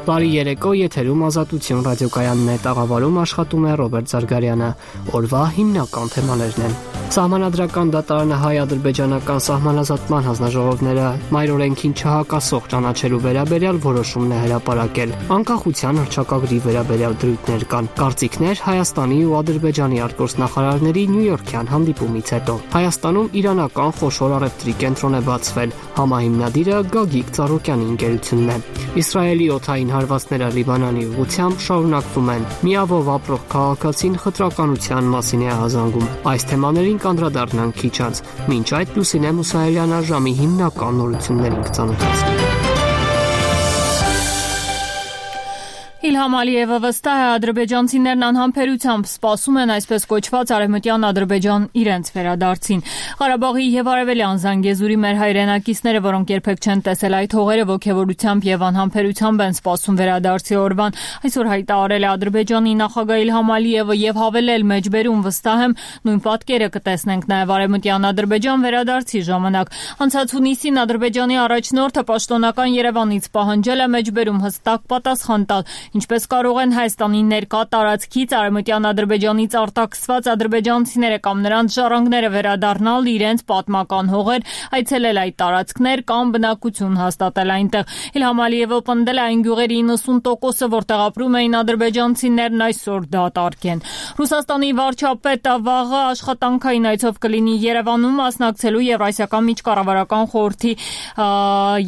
Բարի երեկո, եթերում Ազատություն ռադիոկայանն է, տաղավարում աշխատում է Ռոբերտ Զարգարյանը։ Օրվա հիմնական թեմաներն են. Սահմանադրական դատարանը հայ-ադրբեջանական սահմանազատման հանձնաժողովները մայրօրենքին չհակասող ճանաչելու վերաբերյալ որոշումն է հրապարակել։ Անկախության հռչակագրի վերաբերյալ դրույթներ կան։ Կարծիքներ Հայաստանի ու Ադրբեջանի արտգործնախարարների նյույորքյան հանդիպումից հետո։ Հայաստանում իրանական խոշոր առևտրի կենտրոն է բացվել։ Համահիմնադիրը Գագիկ Ծառուկյանի ընկերությունն է։ Իսրայելի օդային հարվածները Լիբանանի ուղղությամբ շարունակվում են։ Միավով ապրող քաղաքացին խտրականության մասին է ահազանգում։ Այս թեմաներին կանդրադառնանք քիչ անց։ Մինչ այդ Լուսինե Մուսայելյանը ժամի հիմնական նորություններին կծանոթացնի։ Իլհամ Ալիևը վստահ է, ադրբեջանցիներն անհամբերությամբ սպասում են այսպես կոչված արևմտյան Ադրբեջան իրենց վերադարձին։ Ղարաբաղի եւ Արևելյան Զանգեզուրի մեր հայրենակիցները, որոնք երբեք չեն տեսել այդ հողերը, ոգևորությամբ եւ անհամբերությամբ են սպասում վերադարձի օրվան։ Այսօր հայտարարել է Ադրբեջանի նախագահ Իլհամ Ալիևը եւ հավելել մեջբերում վստահ եմ, նույն պատկերը կտեսնենք նաեւ արևմտյան Ադրբեջան վերադարձի ժամանակ։ Անցած հունիսին Ադրբեջանի առաջնորդը պաշտոնական Երևանից պահանջել է մեջբերում հստակ պատասխան տալ, ինչպես կարող են Հայաստանի ներկա տարածքից արևմտյան Ադրբեջանից արտաքսված ադրբեջանցիները կամ նրանց ժառանգները վերադառնալ իրենց պատմական հողեր, այցելել այդ տարածքներ կամ բնակություն հաստատել այնտեղ։ Իլհամ Ալիևը պնդել է այն գյուղերի 90%-ը, որտեղ ապրում էին ադրբեջանցիներն, այսօր դատարկ են։ Ռուսաստանի վարչապետը վաղը աշխատանքային այցով կլինի Երևանում, մասնակցելու Եվրասիական միջկառավարական խորհրդի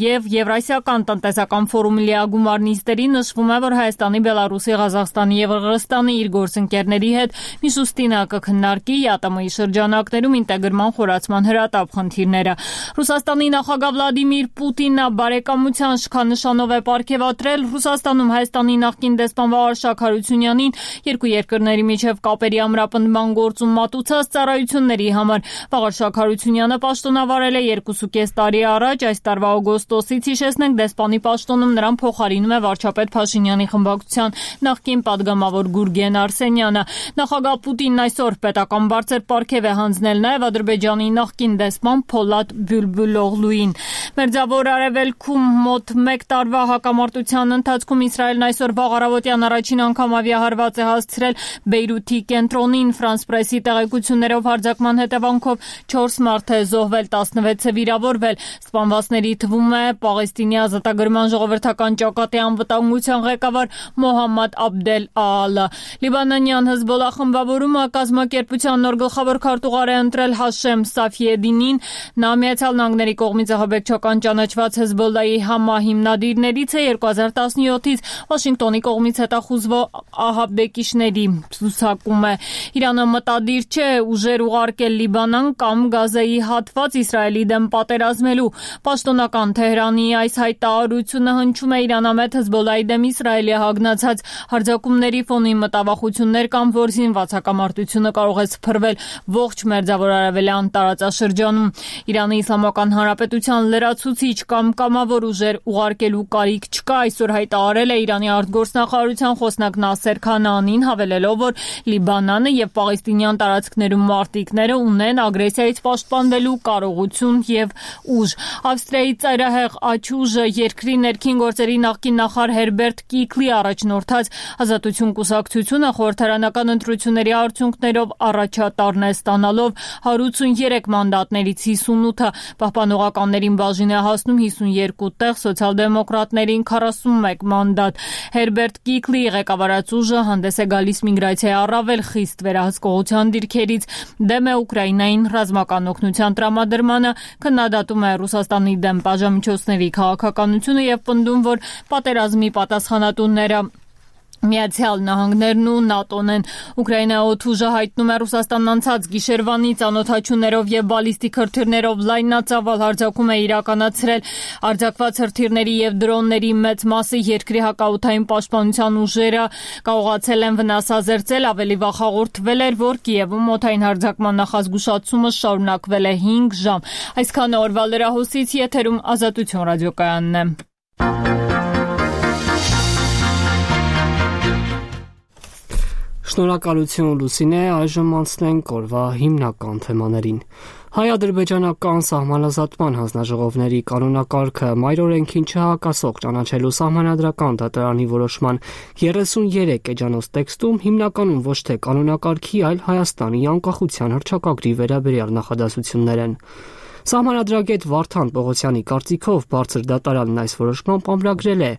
եւ Եվրասիական տնտեսական ֆորումի լիագումար նիստերի նշվում է, որ Հայաստանի, Բելարուսի, Ղազախստանի եւ Ղրղստանի իր գործընկերների հետ Միշուստինը կքննարկի ԵԱՏՄ-ի շրջանակներում ինտեգրման խորացման հրատապ խնդիրները։ Ռուսաստանի նախագահ Վլադիմիր Պուտինը բարեկամության շքանշանով է պարգևատրել Ռուսաստանում Հայաստանի նախկին դեսպան Վաղարշակ Հարությունյանին երկու երկրների միջև կապերի ամրապնդման գործում մատուցած ծառայությունների համար։ Վաղարշակ Հարությունյանը պաշտոնավարել է 2.5 տարի առաջ, այս տարվա օգոստոսից, հիշեցնենք, դեսպանի պաշտոնում նրան փոխարինում է վարչապետ Փաշինյանի խմբակցության նախկին падգամավոր Գուրգեն Արսենյանը։ Նախագահ Պուտինն այսօր պետական բարձր պարգև է հանձնել նաև Ադրբեջանի նախկին դեսպան Փոլադ Բյուլբուլօղլուին։ Մերձավոր Արևելքում մոտ 1 տարվա հակամարտության ընթացքում Իսրայելն այսօր վաղ առավոտյան առաջին անգամ ավիահարված է հասցրել Բեյրութի կենտրոնին։ Ֆրանս պրեսի տեղեկություններով հարձակման հետևանքով 4 մարդ է զոհվել, 16-ը վիրավորվել։ Սպանվածների թվում է Պաղեստինի ազատագրման ժողովրդական ճակատի անվտանգության ղեկավար Մոհամմադ Աբդել Ալը։ Լիբանանյան Հեզբոլլահ խմբավորումը կազմակերպության նոր գլխավոր քարտուղար է ընտրել Հաշեմ Սաֆիեդինին։ Նա Միացյալ Նահանգների կողմից ահաբեկչական ճանաչված Հեզբոլլահի համահիմնադիրներից է 2017-ից Վաշինգտոնի կողմից հետախուզվող ահաբեկիչների ցուցակում է։ Իրանը մտադիր չէ ուժեր ուղարկել Լիբանան կամ Գազայի հատված Իսրայելի դեմ պատերազմելու։ Պաշտոնական Թեհրանի այս հայտարարությունը հնչում է իրանամետ Հեզբոլլահի դեմ Իսրայելի հագնացած հարձակումների ֆոնին մտավախություններ կան, որ զինված հակամարտությունը կարող է սփռվել ողջ Մերձավոր Արևելյան տարածաշրջանում։ Իրանի Իսլամական Հանրապետության լրացուցիչ կամ կամավոր ուժեր ուղարկելու կարիք չկա, այսօր հայտարարել է Իրանի արտգործնախարարության խոսնակ Նասեր Քանանին, հավելելով, որ Լիբանանը եւ Պաղեստինյան տարածքներում մարտիկները ունեն ագրեսիայից պաշտպանվելու կարողություն եւ ուժ։ Ավստրիայի ծայրահեղ աչուժը երկրի ներքին գործերի նախկին նախարար Հերբերտ Կիկլի առաջնորդած Ազատություն կուսակցությունը խորհրդարանական ընտրությունների արդյունքներով առաջատարն է ստանալով 183 մանդատներից 58-ը, պահպանողականներին բաժին է հասնում 52 տեղ, սոցիալ-դեմոկրատներին 41 մանդատ։ Հերբերտ Կիկլի ղեկավարած ուժը հանդես է գալիս միգրացիայի առավել խիստ վերահսկողության դիրքերից, դեմ է Ուկրաինային ռազմական օգնության տրամադրմանը, քննադատում է Ռուսաստանի դեմ բաժամիջոցների քաղաքականությունը եւ պնդում, որ պատերազմի պատասխանատուները Միացյալ Նահանգներն ու ՆԱՏՕ-ն են։ Ուկրաինայի օդուժը հայտնում է Ռուսաստանն անցած գիշերվանից անօդաչուներով եւ բալիստիկ հրթիռներով լայնածավալ հարձակում է իրականացրել։ Արձակված հրթիռների եւ դրոնների մեծ մասը երկրի հակաօդային պաշտպանության ուժերը կարողացել են վնասազերծել։ Ավելի վաղ հաղորդվել էր, որ Կիևում օդային հարձակման նախազգուշացումը շարունակվել է 5 ժամ։ Այսքանը օրվա լրահոսից, եթերում Ազատություն ռադիոկայանն է։ Շնորհակալություն Լուսինե, այժմ անցնենք օրվա հիմնական թեմաներին։ Հայ-ադրբեջանական սահմանազատման հանձնաժողովների կանոնակարգը մայրօրենքին չհակասող ճանաչելու սահմանադրական դատարանի որոշման 33 էջանոց տեքստում հիմնականում ոչ թե կանոնակարգի, այլ Հայաստանի անկախության հռչակագրի վերաբերյալ նախադասություններ են։ Սահմանադրագետ Վարդան Պողոսյանի կարծիքով բարձր դատարանն այս որոշմամբ ամրագրել է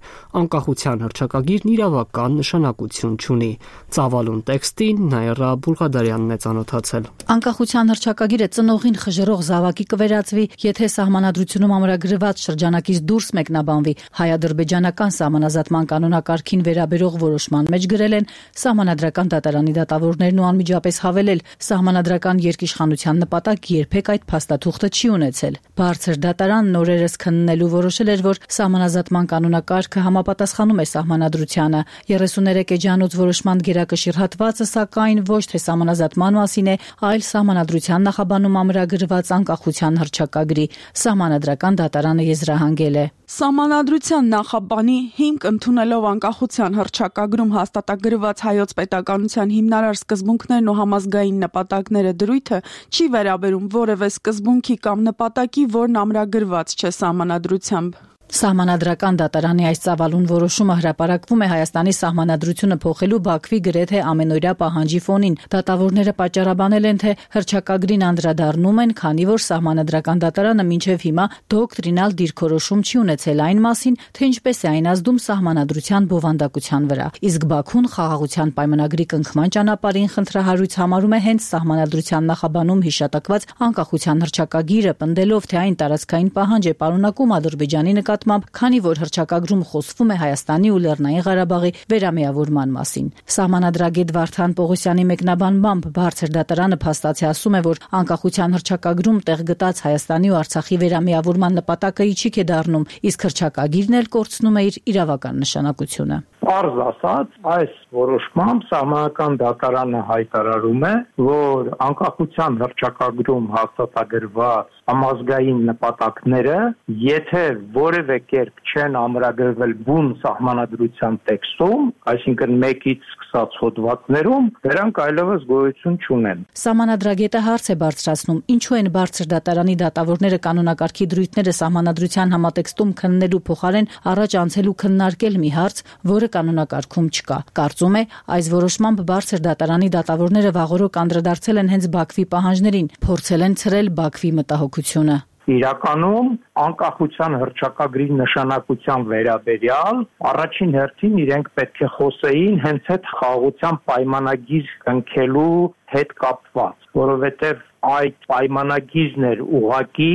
անկախության հռչակագիրն իրավական նշանակություն չունի։ Ծավալուն տեքստին Նաիրա Բուլղադարյանն է ծանոթացել։ Անկախության հռչակագիրը ծնողին խժռող զավակի կվերածվի, եթե սահմանադրությունում ամրագրված շրջանակից դուրս մեկնաբանվի։ Հայ-ադրբեջանական սահմանազատման կանոնակարգին վերաբերող որոշման մեջ գրել են սահմանադրական դատարանի դատավորներն ու անմիջապես հավելել, սահմանադրական երկիշխանության նպատակ երբեք այդ փաստաթուղթը չի ունեցել։ Բարձր դատարանն օրերս քննելու որոշել էր, որ սահմանազատման կանոնակարգը համապատասխանում է սահմանադրությանը։ 33 էջանոց որոշման գերակշիռ հատվածը, սակայն ոչ թե սահմանազատման մասին է, այլ սահմանադրության նախաբանում ամրագրված անկախության հռչակագրի։ Սահմանադրական դատարանը եզրահանգել է. Սահմանադրության նախաբանի հիմք ընդունելով անկախության հռչակագրում հաստատագրված հայոց պետականության հիմնարար սկզբունքներն ու համազգային նպատակները դրույթը չի վերաբերում որևէ սկզբունքի կամ նպատակի, որն ամրագրված չէ սահմանադրությամբ։ Սահմանադրական դատարանի այս ծավալուն որոշումը հրապարակվում է Հայաստանի սահմանադրությունը փոխելու Բաքվի գրեթե ամենօրյա պահանջի ֆոնին։ Դատավորները պատճառաբանել են, թե հռչակագրին անդրադառնում են, քանի որ սահմանադրական դատարանը մինչև հիմա դոկտրինալ դիրքորոշում չի ունեցել այն մասին, թե ինչպես է այն ազդում սահմանադրության բովանդակության վրա։ Իսկ Բաքուն խաղաղության պայմանագրի կնքման ճանապարհին խնդրահարույց համարում է հենց սահմանադրության նախաբանում հիշատակված անկախության հռչակագիրը, պնդելով, թե այն տարածքային պահանջ է պարունակում Ադրբեջանի քանի որ հռչակագրում խոսվում է Հայաստանի ու Լեռնային Ղարաբաղի վերամիավորման մասին։ Սահմանադրագետ Վարդան Պողոսյանի մեկնաբանմամբ բարձր դատարանը փաստացի ասում է, որ անկախության հռչակագրում տեղ գտած Հայաստանի ու Արցախի վերամիավորման նպատակը իջիկ է դառնում, իսկ հռչակագիրն էլ կորցնում է իր իրավական նշանակությունը։ Պարզ ասած, այս որոշմամբ սահմանադրական դատարանը հայտարարում է, որ անկախության հռչակագրում հաստատագրված համազգային նպատակները, եթե որևէ կերպ չեն ամրագրվել բուն սահմանադրության տեքստում, այսինքն 1-ից սկսած հոդվածներում, դրանք այլևս գոյություն չունեն։ Սահմանադրագետը հարց է բարձրացնում, ինչու են բարձր դատարանի դատավորները կանոնակարգի դրույթները սահմանադրության համատեքստում քննելու փոխարեն առաջ անցել ու քննարկել մի հարց, որը կանոնակարգում չկա։ Կարծում է, այս որոշմամբ բարձր դատարանի դատավորները վաղօրոք անդրադարձել են հենց Բաքվի պահանջներին, փորձել են ցրել Բաքվի մտահոգությունը։ Իրականում անկախության հռչակագրի նշանակության վերաբերյալ առաջին հերթին իրենք պետք է խոսեին հենց այդ խաղաղության պայմանագիր կնքելու հետ կապված, որովհետև այդ պայմանագիրն էր ուղղակի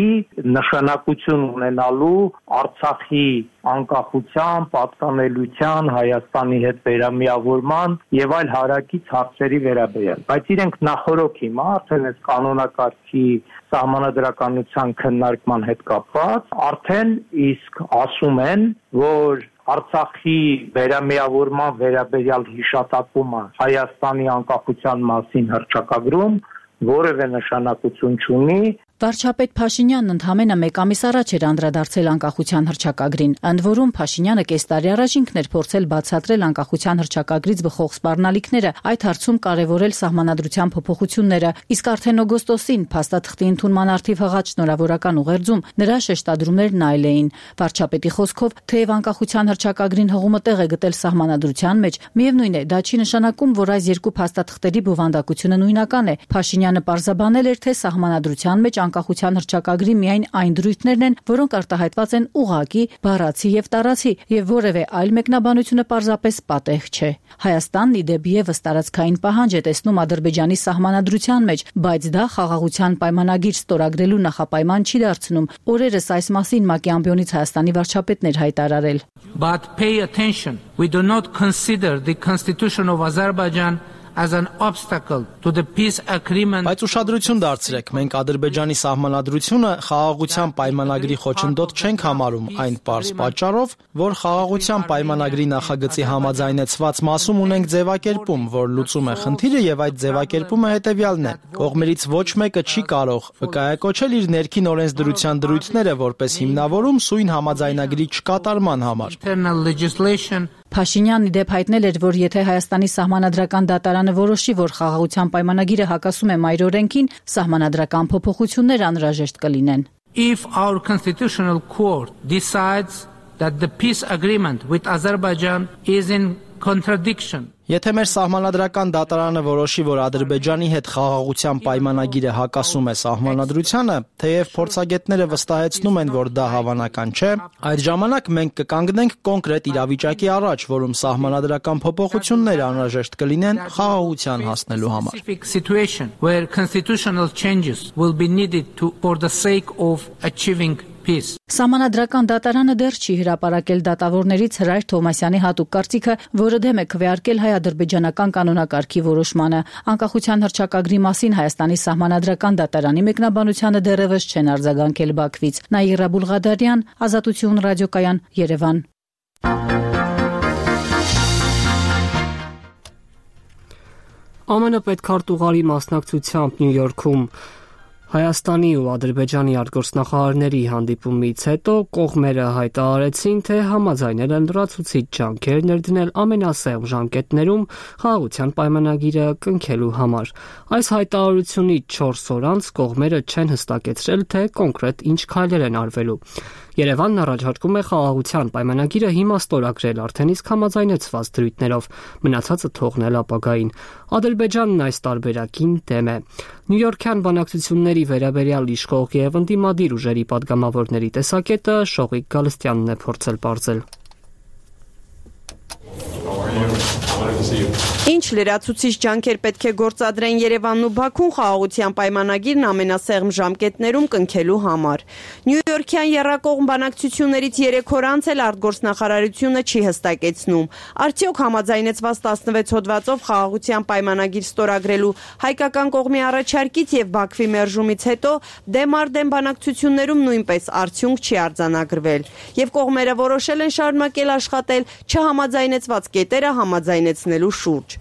նշանակություն ունենալու Արցախի անկախության, պատկանելիության, Հայաստանի հետ վերամիավորման եւ այլ հարակից հարցերի վերաբերյալ։ Բայց իրենք նախորոք հիմա արդեն այս կանոնակարգի սահմանադրականության քննարկման հետ կապված արդեն իսկ ասում են, որ Արցախի վերամիավորման վերաբերյալ հիշատակումը Հայաստանի անկախության մասին հռչակագրում որևէ նշանակություն չունի։ Վարչապետ Փաշինյանն ընդամենը 1 ամիս առաջ էր անդրադարձել անկախության հռչակագրին, ընդ որում Փաշինյանը կես տարի առաջ ինքն էր փորձել բացատրել անկախության հռչակագրից բխող սպառնալիքները, այդ հարցում կարևորել սահմանադրության փոփոխությունները, իսկ արդեն օգոստոսին փաստաթղթի ընդունման առթիվ հղած շնորհավորական ուղերձում նրա շեշտադրումներն այլ էին։ Վարչապետի խոսքով, թեև անկախության հռչակագրին հղումը տեղ է գտել սահմանադրության մեջ, միևնույն է, դա չի նշանակում, որ այս երկու փաստաթղթերի բովանդակությունը նույնական է։ Փաշինյանը պարզաբանել էր, թե սահմանադրության մեջ անկախության հռչակագրի միայն այն դրույթներն են, որոնք արտահայտված են ուղղակի, բառացի եւ տարածի, եւ որևէ այլ մեկնաբանությունը պարզապես պատեհ չէ։ Հայաստանն ի դեպ եւս տարածքային պահանջ է տեսնում Ադրբեջանի սահմանադրության մեջ, բայց դա խաղաղության պայմանագիր ստորագրելու նախապայման չի դարձնում։ Օրերս այս մասին ՄԱԿ-ի ամբիոնից Հայաստանի վարչապետն էր հայտարարել. But pay attention. We do not consider the Constitution of Azerbaijan as an obstacle to the peace agreement. Բայց ուշադրություն դարձրեք, մենք Ադրբեջանի սահմանադրությունը խաղաղության պայմանագրի խոչընդոտ չենք համարում այն պարզ պատճառով, որ խաղաղության պայմանագրի նախագծի համաձայնեցված մասում ունենք ձևակերպում, որ լուծում է խնդիրը եւ այդ ձևակերպումը հետեւյալն է. կողմերից ոչ մեկը չի կարող վկայակոչել իր ներքին օրենսդրության դրույթները որպես հիմնավորում սույն համաձայնագրի չկատարման համար։ Փաշինյանն ի դեպ հայտնել էր, որ եթե Հայաստանի սահմանադրական դատարանը որոշի, որ խաղաղության պայմանագիրը հակասում է մայր օրենքին, սահմանադրական փոփոխություններ անհրաժեշտ կլինեն. If our constitutional court decides that the peace agreement with Azerbaijan is in contradiction. Եթե մեր սահմանադրական դատարանը որոշի, որ Ադրբեջանի հետ խաղաղության պայմանագիրը հակասում է սահմանադրությանը, թեև փորձագետները վստահեցնում են, որ դա հավանական չէ, այդ ժամանակ մենք կկանգնենք կոնկրետ իրավիճակի առաջ, որում սահմանադրական փոփոխություններ անհրաժեշտ կլինեն խաղաղության հասնելու համար. Specific situation where constitutional changes will be needed for the sake of achieving peace. Սահմանադրական դատարանը դեռ չի հրապարակել դատավորներից Հրայր Թովմասյանի հատուկ կարծիքը, որը դեմ է քվեարկել հայ-ադրբեջանական կանոնակարգի որոշմանը։ Անկախության հռչակագրի մասին Հայաստանի սահմանադրական դատարանի մեկնաբանությանը դեռևս չեն արձագանքել Բաքվից։ Նաիրա Բուլղադարյան, Ազատություն ռադիոկայան, Երևան։ ԱՄՆ պետքարտուղարի մասնակցությամբ Նյու Յորքում Հայաստանի ու Ադրբեջանի արտգործնախարարների հանդիպումից հետո կողմերը հայտարարեցին, թե համաձայնել են լրացուցիչ ջանքեր ներդնել ամենասեղմ ժամկետներում խաղաղության պայմանագիրը կնքելու համար։ Այս հայտարարությունից 4 օր անց կողմերը չեն հստակեցրել, թե կոնկրետ ինչ քայլեր են արվելու։ Երևանն առաջարկում է խաղաղության պայմանագիրը հիմա ստորագրել արդեն իսկ համաձայնեցված դրույթներով, մնացածը թողնել ապագային։ Ադրբեջանն այս տարբերակին դեմ է։ Նյու Յորքյան բանակցությունների վերաբերյալ իշխող եւ ընդդիմադիր ուժերի պատգամավորների տեսակետը Շողիկ Գալստյանն է փորձել բարձել։ Ինչ լրացուցիչ ջանքեր պետք է գործադրեն Երևանն ու Բաքուն խաղաղության պայմանագիրն ամենասեղմ ժամկետներում կնքելու համար։ Նյու-Յորքյան եռակողմ բանակցություններից 3 օր անց էլ արտգործնախարարությունը չի հստակեցնում։ Արդյոք համաձայնեցված 16 հոդվածով խաղաղության պայմանագիր ստորագրելու հայկական կողմի առաջարկից եւ Բաքվի մերժումից հետո դեմ առ դեմ բանակցություններում նույնպես արդյունք չի արձանագրվել։ Եվ կողմերը որոշել են շարունակել աշխատել չհամաձայնեցված կետերը համաձայնեցնելու շուրջ։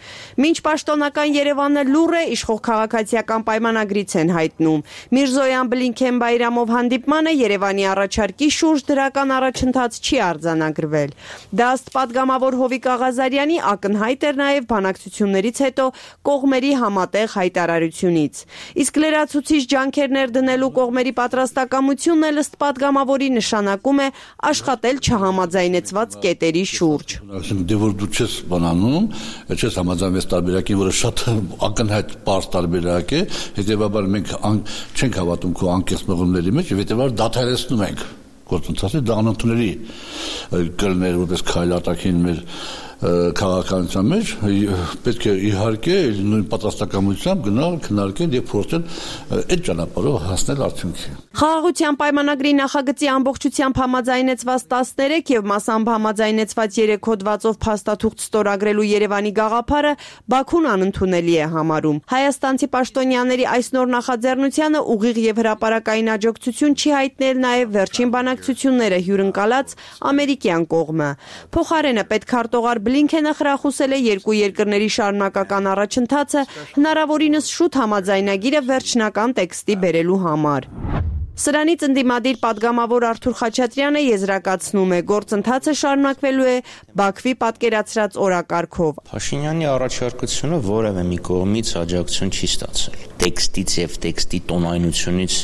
Մինչ պաշտոնական Երևանը լուռ է, իշխող քաղաքացիական պայմանագրից են հայտնում։ Միրզոյան-Բլինքեն Բայրամով հանդիպմանը Երևանի առաջարկի շուրջ դրական առաջընթաց չի արձանագրվել։ Դա ըստ պատգամավոր Հովիկ Աղազարյանի ակնհայտ էր նաև բանակցություններից հետո կողմերի համատեղ հայտարարությունից։ Իսկ լրացուցիչ ջանքեր ներդնելու կողմերի պատրաստակամությունն էլ ըստ պատգամավորի նշանակում է աշխատել չհամաձայնեցված կետերի շուրջ։ Բանանում, չես համաձայնվեց տարբերակին, որը շատ ակնհայտ պարզ տարբերակ է, հետևաբար մենք չենք հավատում քո անկեղծ մղումների մեջ եւ հետևաբար դադարեցնում ենք գործընթացը, դա անընդունելի կլներ որպես քայլ արտաքին մեր քաղաքականության մեջ, պետք է իհարկե նույն պատրաստակամությամբ գնալ, քննարկել եւ փորձել այդ ճանապարհով հասնել արդյունքի։ Խաղաղության պայմանագրի նախագծի ամբողջությամբ համաձայնեցված 13 եւ մասամբ համաձայնեցված 3 հոդվածով փաստաթուղթ ստորագրելու Երևանի գաղափարը Բաքուն անընդունելի է համարում։ Հայաստանցի պաշտոնյաների այս նոր նախաձեռնությանը ուղիղ եւ հրապարակային աջակցություն չի հայտնել նաեւ վերջին բանակցությունները հյուրընկալած ամերիկյան կողմը։ Փոխարենը պետքարտուղար Բլինքենը խրախուսել է երկու երկրների շարունակական առաջընթացը հնարավորինս շուտ համաձայնագիրը վերջնական տեքստի բերելու համար։ Սրանից ընդդիմադիր պատգամավոր Արթուր Խաչատրյանը եզրակացնում է, գործընթացը շարունակվելու է Բաքվի պատկերացրած օրակարգով։ Փաշինյանի առաջարկությունը որևէ մի կողմից աջակցություն չի ստացել։ Տեքստից եւ տեքստի տոնայնությունից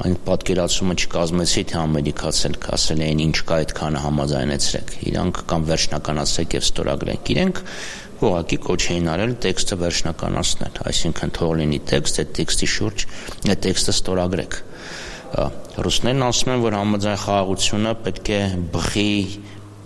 այն պատկերացումը չկազմեցի, թե ամերիկացել կասել էին ինչ կա այդքանը համաձայնեցրեք։ Իրանք կամ վերջնականացրեք եւ ստորագրեք։ Իրենք ուղղակի կոչ էին արել տեքստը վերջնականացնել, այսինքն թող լինի տեքստ, այդ տեքստի շուրջ այդ տեքստը ստորագրեք։ Ռուսներն ասում են, որ համաձայն խաղաղությունը պետք է բխի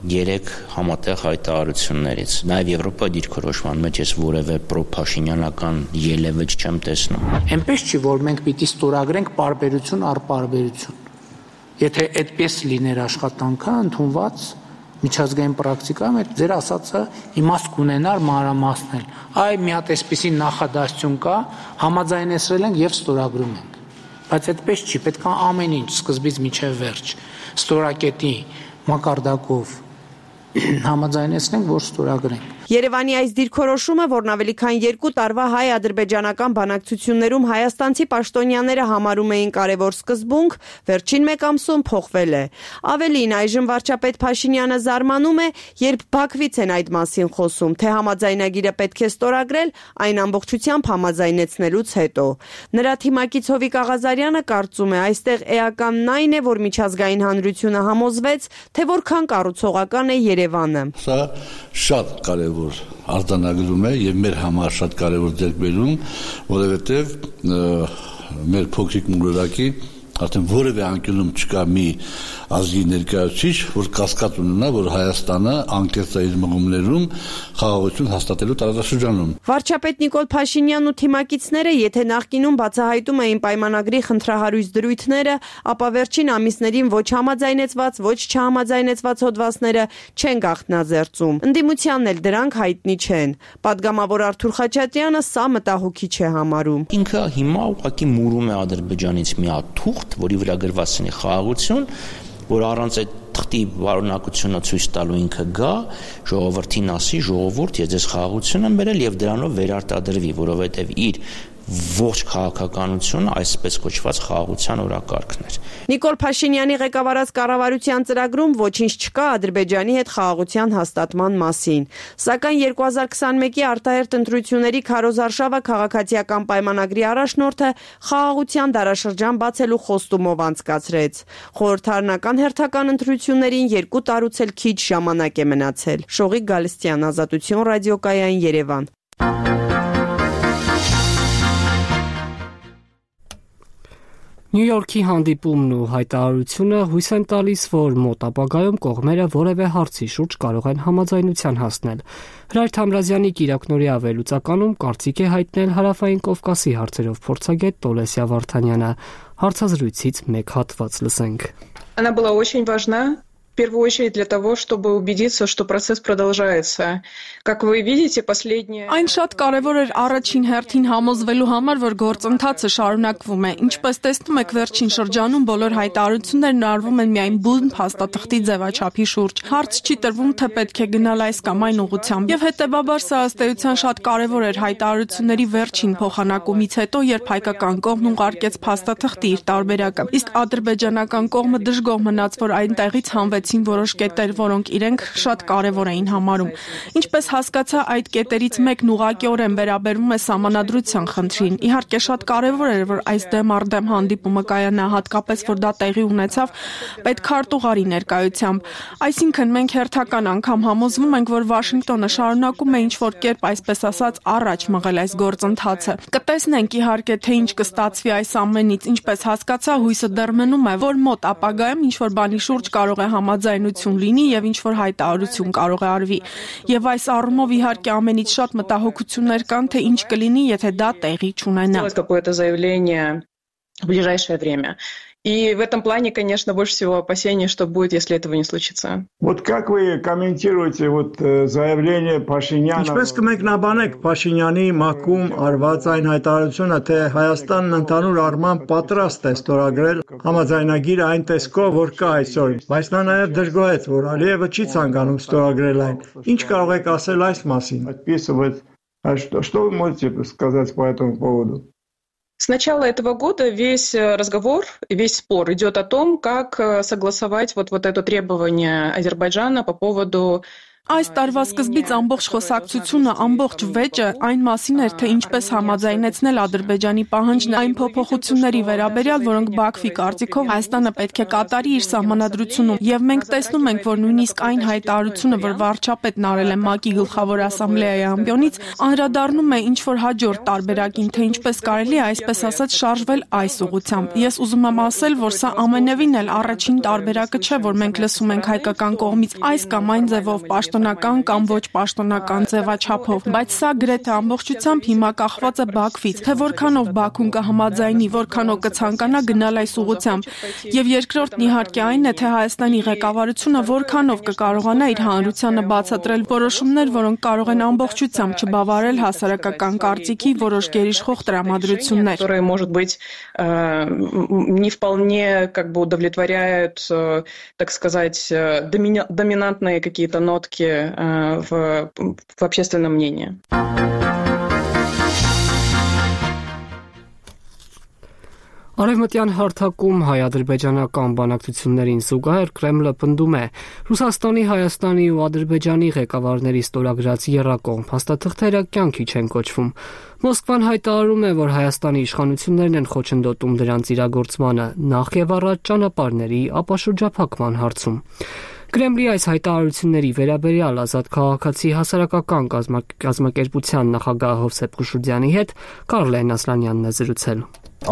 3 համատեղ հայտարարություններից։ Նաև Եվրոպայի դիրքորոշման մեջ ես որևէ պրոփաշինյանական ելևէջ չեմ տեսնում։ Այնպես չի, որ մենք պիտի ստորագրենք պարբերություն առ պարբերություն։ Եթե այդպես լիներ աշխատանքը ընդունված միջազգային պրակտիկայում, այդ ձեր ասածը իմաստ կունենար մանրամասնել։ Այ մի հատ այսպիսի նախադասություն կա, համաձայնեցրել ենք եւ ստորագրում ենք։ Բայց այդպես չի, պետք է ամեն ինչ սկզբից մինչև վերջ ստորակետի մակարդակով համաձայնեցնենք, որ ստորագրենք։ Երևանի այս դիրքորոշումը, որն ավելի քան 2 տարվա հայ-ադրբեջանական բանակցություններում հայաստանցի պաշտոնյաները համարում էին կարևոր սկզբունք, վերջին մեկ ամսում փոխվել է։ Ավելին, այժմ վարչապետ Փաշինյանը զարմանում է, երբ Բաքվից են այդ մասին խոսում, թե համաձայնագիրը պետք է ստորագրել այն ամբողջությամբ համաձայնեցնելուց հետո։ Նրա թիմակից Հովիկ Աղազարյանը կարծում է, այստեղ էականն այն է, որ միջազգային հանրությունը համոզվեց, թե որքան կառուցողական է Երևանը։ Սա շատ կարևոր արձանագրում է եւ մեր համար շատ կարևոր ձեռքբերում, որովհետեւ մեր փոքրիկ մուրակի արդեն որևէ անկյունում չկա մի ազգի ներկայացուցիչ, որ կասկած ունենա, որ Հայաստանը անկեղծ է իր մղումներում խաղաղություն հաստատելու տարածաշրջանում։ Վարչապետ Նիկոլ Փաշինյանն ու թիմակիցները, եթե նախկինում բացահայտում էին պայմանագրի խնդրահարույց դրույթները, ապա վերջին ամիսներին ոչ համաձայնեցված, ոչ չհամաձայնեցված հոդվածները չեն գաղտնաձեռծում։ Ընդդիմությանն էլ դրանք հայտնի չեն։ Պատգամավոր Արթուր Խաչատրյանը սա մտահոգիչ է համարում։ Ինքը հիմա ուղղակի մուրում է Ադրբեջանից մի հատ թուղթ, որի վրա գրված է խաղաղություն, որ առանց այդ թղթի վարունակությունը ցույց տալու ինքը գա, ժողովրդին ասի, ժողովուրդ, ես ձեզ խաղաղություն եմ բերել եւ դրանով վերարտադրվի, որովհետեւ իր ողջ քաղաքականությունը այսպես կոչված խաղաղության օրակարգն էր։ Նիկոլ Փաշինյանի ղեկավարած կառավարության ծրագրում ոչինչ չկա Ադրբեջանի հետ խաղաղության հաստատման մասին։ Սակայն 2021-ի արտահերթ ընտրությունների քարոզարշավը քաղաքացիական պայմանագրի առաջնորդը խաղաղության դարաշրջան բացելու խոստումով անցկացրեց։ Խորհրդարանական հերթական ընտրություններին 2 տարուց էլ քիչ ժամանակ է մնացել։ Շողիկ Գալստյան, Ազատություն ռադիոկայան, Երևան։ Նյու Յորքի հանդիպումն ու հայտարարությունը հույս են տալիս, որ մոտ ապագայում կողմերը որևէ հարցի շուրջ կարող են համաձայնության հասնել։ Հրայր Թամրազյանի կիրակնօրյա վերլուծականում կարծիք է հայտնել Հարավային Կովկասի հարցերով փորձագետ Տոլեսիա Վարդանյանը։ Հարցազրույցից մեկ հատված լսենք։ Она была очень важна. В первую очередь для того, чтобы убедиться, что процесс продолжается. Как вы видите, последние... Այն շատ կարևոր էր առաջին հերթին համոզվելու համար, որ գործընթացը շարունակվում է։ Ինչպես տեսնում եք, վերջին շրջանում բոլոր հայտարարություններն արվում են միայն բուն փաստաթղթի ձևաչափի շուրջ։ Հարց չի տրվում, թե պետք է գնալ այս կամ այն ուղղությամբ։ Եվ հետեւաբար սա ըստ էության շատ կարևոր էր հայտարարությունների վերջին փոխանակումից հետո, երբ հայկական կողմն ուղարկեց փաստաթղթի իր տարբերակը։ Իսկ ադրբեջանական կողմը դժգոհ մնաց, որ այնտեղից հանվեցին որոշ կետեր, որոնք իրենք շատ կարևոր էին համարում։ Ինչպես հասկացա, այդ կետերից մեկն ուղղակիորեն վերաբերվում է սահմանադրության խնդրին։ Իհարկե շատ կարևոր էր, որ այս դեմ առ դեմ հանդիպումը կայանա, հատկապես որ դա տեղի ունեցավ պետքարտուղարի ներկայությամբ։ Այսինքն մենք հերթական անգամ համոզվում ենք, որ Վաշինգտոնը շարունակում է ինչ-որ կերպ, այսպես ասած, առաջ մղել այս գործընթացը։ Կտեսնենք իհարկե, թե ինչ կստացվի այս ամենից, ինչպես հասկացա, հույսը դեռ մնում է, որ մոտ ապագայում ինչ-որ բանի շուրջ կարող է համաձայնություն լինի եւ ինչ-որ հայտարարություն կարող է արվի։ Եվ այս առումով իհարկե ամենից շատ մտահոգություններ կան, թե ինչ կլինի, եթե դա տեղի չունենա։ Какое-то заявление в ближайшее время. И в этом плане, конечно, больше всего опасений, что будет, если этого не случится. Вот как вы комментируете заявление Փաշինյանը։ Ինչպես կմեկնաբանեք Փաշինյանի մակում արված այն հայտարարությունը, թե Հայաստանն ընդհանուր առմամբ պատրաստ է ստորագրել համաձայնագիրը այն տեսքով, որ կա այսօր, բայց նա նաև դժգոհեց, որ Ալիևը չի ցանկանում ստորագրել այն։ Ինչ կարող եք ասել այս մասին։ Что вы можете сказать по этому поводу? С начала этого года весь разговор, весь спор идет о том, как согласовать вот это требование Азербайджана по поводу Այս տարվա սկզբից ամբողջ խոսակցությունը, ամբողջ վեճը այն մասին էր, թե ինչպես համաձայնեցնել Ադրբեջանի պահանջն այն փոփոխությունների վերաբերյալ, որոնք Բաքվի կարծիքով Հայաստանը պետք է կատարի իր սահմանադրությունում։ Եվ մենք տեսնում ենք, որ նույնիսկ այն հայտարարությունը, որ վարչապետն արել է ՄԱԿ-ի գլխավոր ասամբլեայի ամբիոնից, անդրադառնում է ինչ-որ հաջորդ տարբերակին, թե ինչպես կարելի է այսպես ասած շարժվել այս ուղղությամբ։ Ես ուզում եմ ասել, որ սա ամենևին էլ առաջին տարբերակը չէ, որ մենք լսում ենք հայկական կողմից այս կամ այն ձևով պաշտոնական կամ ոչ պաշտոնական ձևաչափով, բայց սա գրեթե ամբողջությամբ հիմա կախված է Բաքվից, թե որքանով Բաքուն կհամաձայնի, որքանով կցանկանա գնալ այս ուղղությամբ։ Եվ երկրորդն իհարկե այն է, թե Հայաստանի ղեկավարությունը որքանով կկարողանա իր հանրությանը բացատրել որոշումներ, որոնք կարող են ամբողջությամբ չբավարարել հասարակական կարծիքի որոշ գերիշխող տրամադրություններ, которые, может быть, не вполне удовлетворяют, так сказать, доминантные какие-то нотки риторики в общественном мнении. Արևմտյան հարթակում հայ-ադրբեջանական բանակցություններին զուգահեռ Կրեմլը պնդում է Ռուսաստանի, Հայաստանի ու Ադրբեջանի ղեկավարների ստորագրած եռակողմ փաստաթղթերը կյանքի չեն կոչվում։ Մոսկվան հայտարարում է, որ Հայաստանի իշխանություններն են խոչընդոտում դրանց իրագործմանը նախ եւ առաջ ճանապարհների ապաշրջափակման հարցում։ Կրեմլի այս հայտարարությունների վերաբերյալ Ազատ քաղաքացի հասարակական կազմակերպության նախագահ Հովսեփ Խուշուրդյանի հետ Կարլեն Ասլանյանն է զրուցել։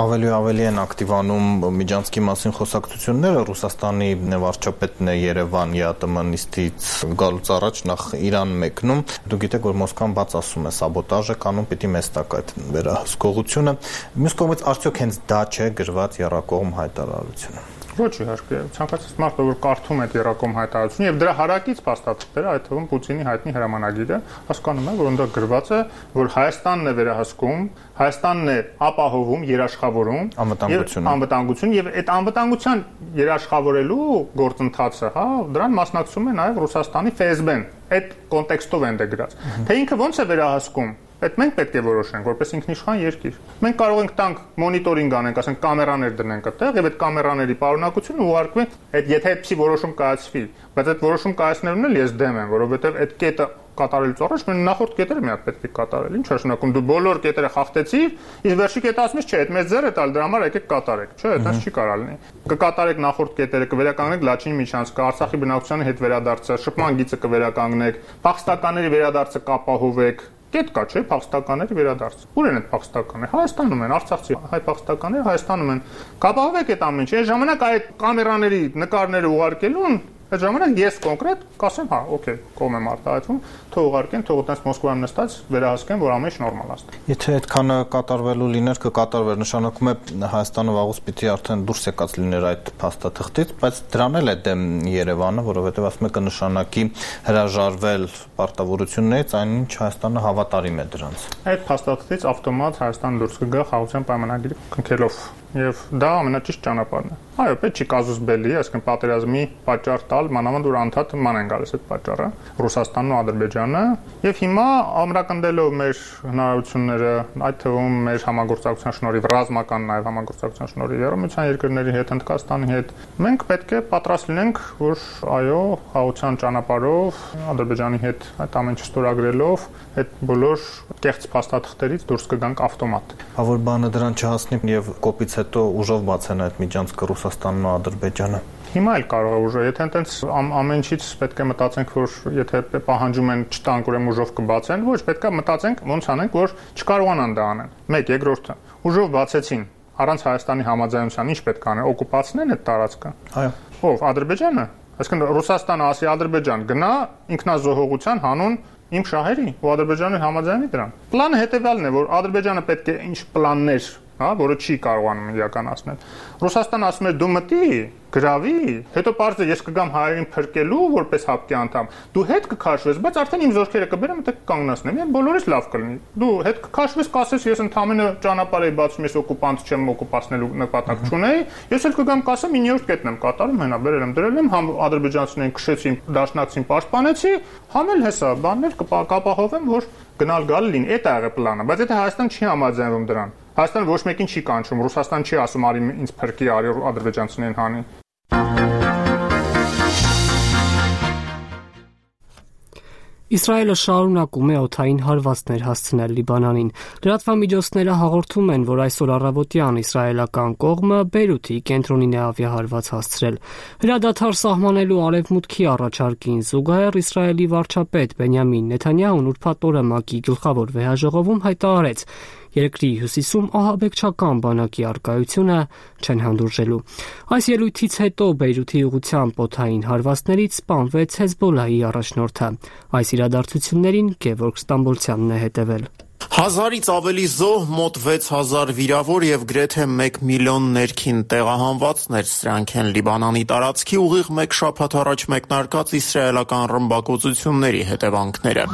Ավելի ու ավելի են ակտիվանում Միջանցքի մասին խոսակցությունները։ Ռուսաստանի վարչապետն է Երևան ԵԱՏՄ նիստից գալուց առաջ նախ Իրան մեկնում։ Դուք գիտեք, որ Մոսկվան բաց ասում է սաբոտաժ է կանում, պիտի մեզ տակ այդ վերահսկողությունը։ Մյուս կողմից արդյոք հենց դա չէ գրված եռակողմ հայտարարությունը։ Ոչ իհարկե, ցանկացած մարդ, որ կարդում է եռակողմ հայտարարությունը եւ դրա հարակից փաստաթղթերը, այդ թվում Պուտինի հայտնի հրամանագիրը, հասկանում է, որ այնտեղ գրված է, որ Հայաստանն է վերահսկում, Հայաստանն է ապահովում, երաշխավորում անվտանգություն եւ այդ անվտանգության երաշխավորելու գործընթացը, դրան մասնակցում է նաեւ Ռուսաստանի ՖՍԲ-ն։ Այդ կոնտեքստով են դրած։ Թե ինքը ոնց է վերահսկում, այդ մենք պետք է որոշենք, որպես ինքնիշխան երկիր։ Մենք կարող ենք տանք մոնիտորինգ անենք, ասենք կամերաներ դնենք այդտեղ եւ այդ կամերաների պարունակությունը ուղարկվենք, եթե այդպիսի որոշում կայացվի, բայց այդ որոշում կայացնելուն էլ ես դեմ եմ, որովհետեւ այդ կետը կատարելուց առաջ մենք նախորդ կետերը մի հատ պետք է կատարել։ Ինչ նշանակում դու բոլոր կետերը խախտեցիր, իսկ վերջի կետը ասում ես, չէ, այդ մեծ ձեռ է տալ, դրա համար եկեք կատարեք, չէ, այդպես չի կարող լինի։ Կկատարեք նախորդ կետերը, կվերականգնեք Լաչինի միջանցքը, Արցախի բնակչության հետ վերադարձը, շփման գիծը կվերականգնեք, փախստականների վերադարձը կապահովեք։ Կետ կա, չէ, փախստականների վերադարձ։ Ուր են այդ փախստականները։ Հայաստանում են, արցախցի հայ փախստականները Հայաստանում են։ Կապահովեք այդ ամեն ինչը։ Այս ժամանակ այդ կամերաների նկարները ուղարկելուն այդ ժամանակ ես կոնկրետ կասեմ, հա, օքեյ, կողմ եմ արտահայտվում, թող ուղարկեն, թող այդպես Մոսկվայում նստած վերահսկեն, որ ամեն ինչ նորմալ է։ Եթե այդքանը կատարվելու լիներ, կկատարվեր, նշանակում է Հայաստանը վաղուց պիտի արդեն դուրս եկած լիներ այդ փաստաթղթից, բայց դրան էլ է դեմ Երևանը, որովհետև ասում է կնշանակի հրաժարվել պարտավորություններից, այնինչ Հայաստանը հավատարիմ է դրանց։ Այդ փաստաթղթից ավտոմատ Հայաստանը դուրս կգա խաղաղության պայմանագիրը քննելով եւ դա ամենաճիշտ ճանապարհն է։ Այո, պետք չի կազուս բելի, այսինքն պատերազմի պատճառ տալ, մանավանդ որ անդադ ման են գալիս այդ պատճառը, Ռուսաստանն ու Ադրբեջանը, եւ հիմա ամրակնդելով մեր հնարավորությունները, այդ թվում մեր համագործակցության շնորհիվ, ռազմական նաեւ համագործակցության շնորհիվ Եվրոմիության երկրների հետ, Հնդկաստանի հետ, մենք պետք է պատրաստ լինենք, որ այո, խաղաղության ճանապարհով Ադրբեջանի հետ այդ ամեն ինչ ստորագրելով, այդ բոլոր կեղծ փաստաթղթերից դուրս կգանք ավտոմատ։ Որ բանը դրան չհասնի եւ կոպից հետո ուժով բացեն այդ միջանցքը Ռուսաստանն ու Ադրբեջանը։ Հիմա էլ կարող է ուժը, եթե այնտենց ամեն ինչից պետք է մտածենք, որ եթե պահանջում են չտանք, ուրեմն ուժով կբացեն, ոչ, պետք է մտածենք ոնց անենք, որ չկարողանան դա անեն։ Մեկ, երկրորդը, ուժով բացեցին, առանց Հայաստանի համաձայնության ինչ պետք է անեն, օկուպացնեն այդ տարածքը։ Այո։ Ով, Ադրբեջանը։ Այսինքն Ռուսաստանը ասի Ադրբեջան գնա ինքնազոհողության հանուն իմ շահերի ու Ադրբեջանը համաձայնի դրան։ Պլանը հետեւյալն է, որ Ադրբեջանը պետք է ինչ պլաններ, որը չի կարողանում իրականացնել։ Ռուսաստանը ասում է դու մտի, գրավի, հետո պարզը ես կգամ հայերին փրկելու որպես հապկի անդամ։ Դու հետ կքաշվես, բայց արդեն իմ զորքերը կբերեմ, դե կկանգնացնեմ։ Իմ բոլորից լավ կլինի։ Դու հետ կքաշվես, կասես ես ընդամենը ճանապարհ էի բացում, ես օկուպանտ չեմ, օկուպացնելու նպատակ չունեի։ Ես էլ կգամ կասեմ 9-րդ կետն եմ կատարում, հենա բերել եմ, դրել եմ, համ ադրբեջանցիներին քշեցին, դաշնակցին պաշտպանեցի, համ էլ հեսա բաններ կապահովեմ, որ գնալ գալ լինի։ Այդ է եղել պլանը, բայց եթե Հայաստան չի համաձայնվում դրան, Հայաստանը ոչ մեկին չի կանչում, Ռուսաստան չի ասում արի ինձ փրկի, արի ադրբեջանցիներին հանի։ Իսրայելը շարունակում է օդային հարվածներ հասցնել Լիբանանին։ Լրատվամիջոցները հաղորդում են, որ այսօր առավոտյան իսրայելական կողմը Բեյրութի կենտրոնին է ավիահարված հասցրել։ Հրադադար սահմանելու արևմուտքի առաջարկին զուգահեռ Իսրայելի վարչապետ Բենյամին Նեթանյահուն ուրբաթ օրը ՄԱԿ-ի գլխավոր վեհաժողովում հայտարարեց. Երկրի հյուսիսում ահաբեկչական բանակի արկայությունը չեն հանդուրժելու։ Այս ելույթից հետո Բեյրութի ուղղությամբ օդային հարվածներից սպանվեց Հեզբոլլահի առաջնորդը։ Այս իրադարձություններին Գևորգ Ստամբոլցյանն է հետևել։ 1000-ից ավելի զոհ, մոտ 6000 վիրավոր եւ գրեթե 1 միլիոն ներքին տեղահանվածներ, սրանք են Լիբանանի տարածքի ուղիղ 1 շաբաթ առաջ մեկնարկած իսրայելական ռմբակոծությունների հետևանքները։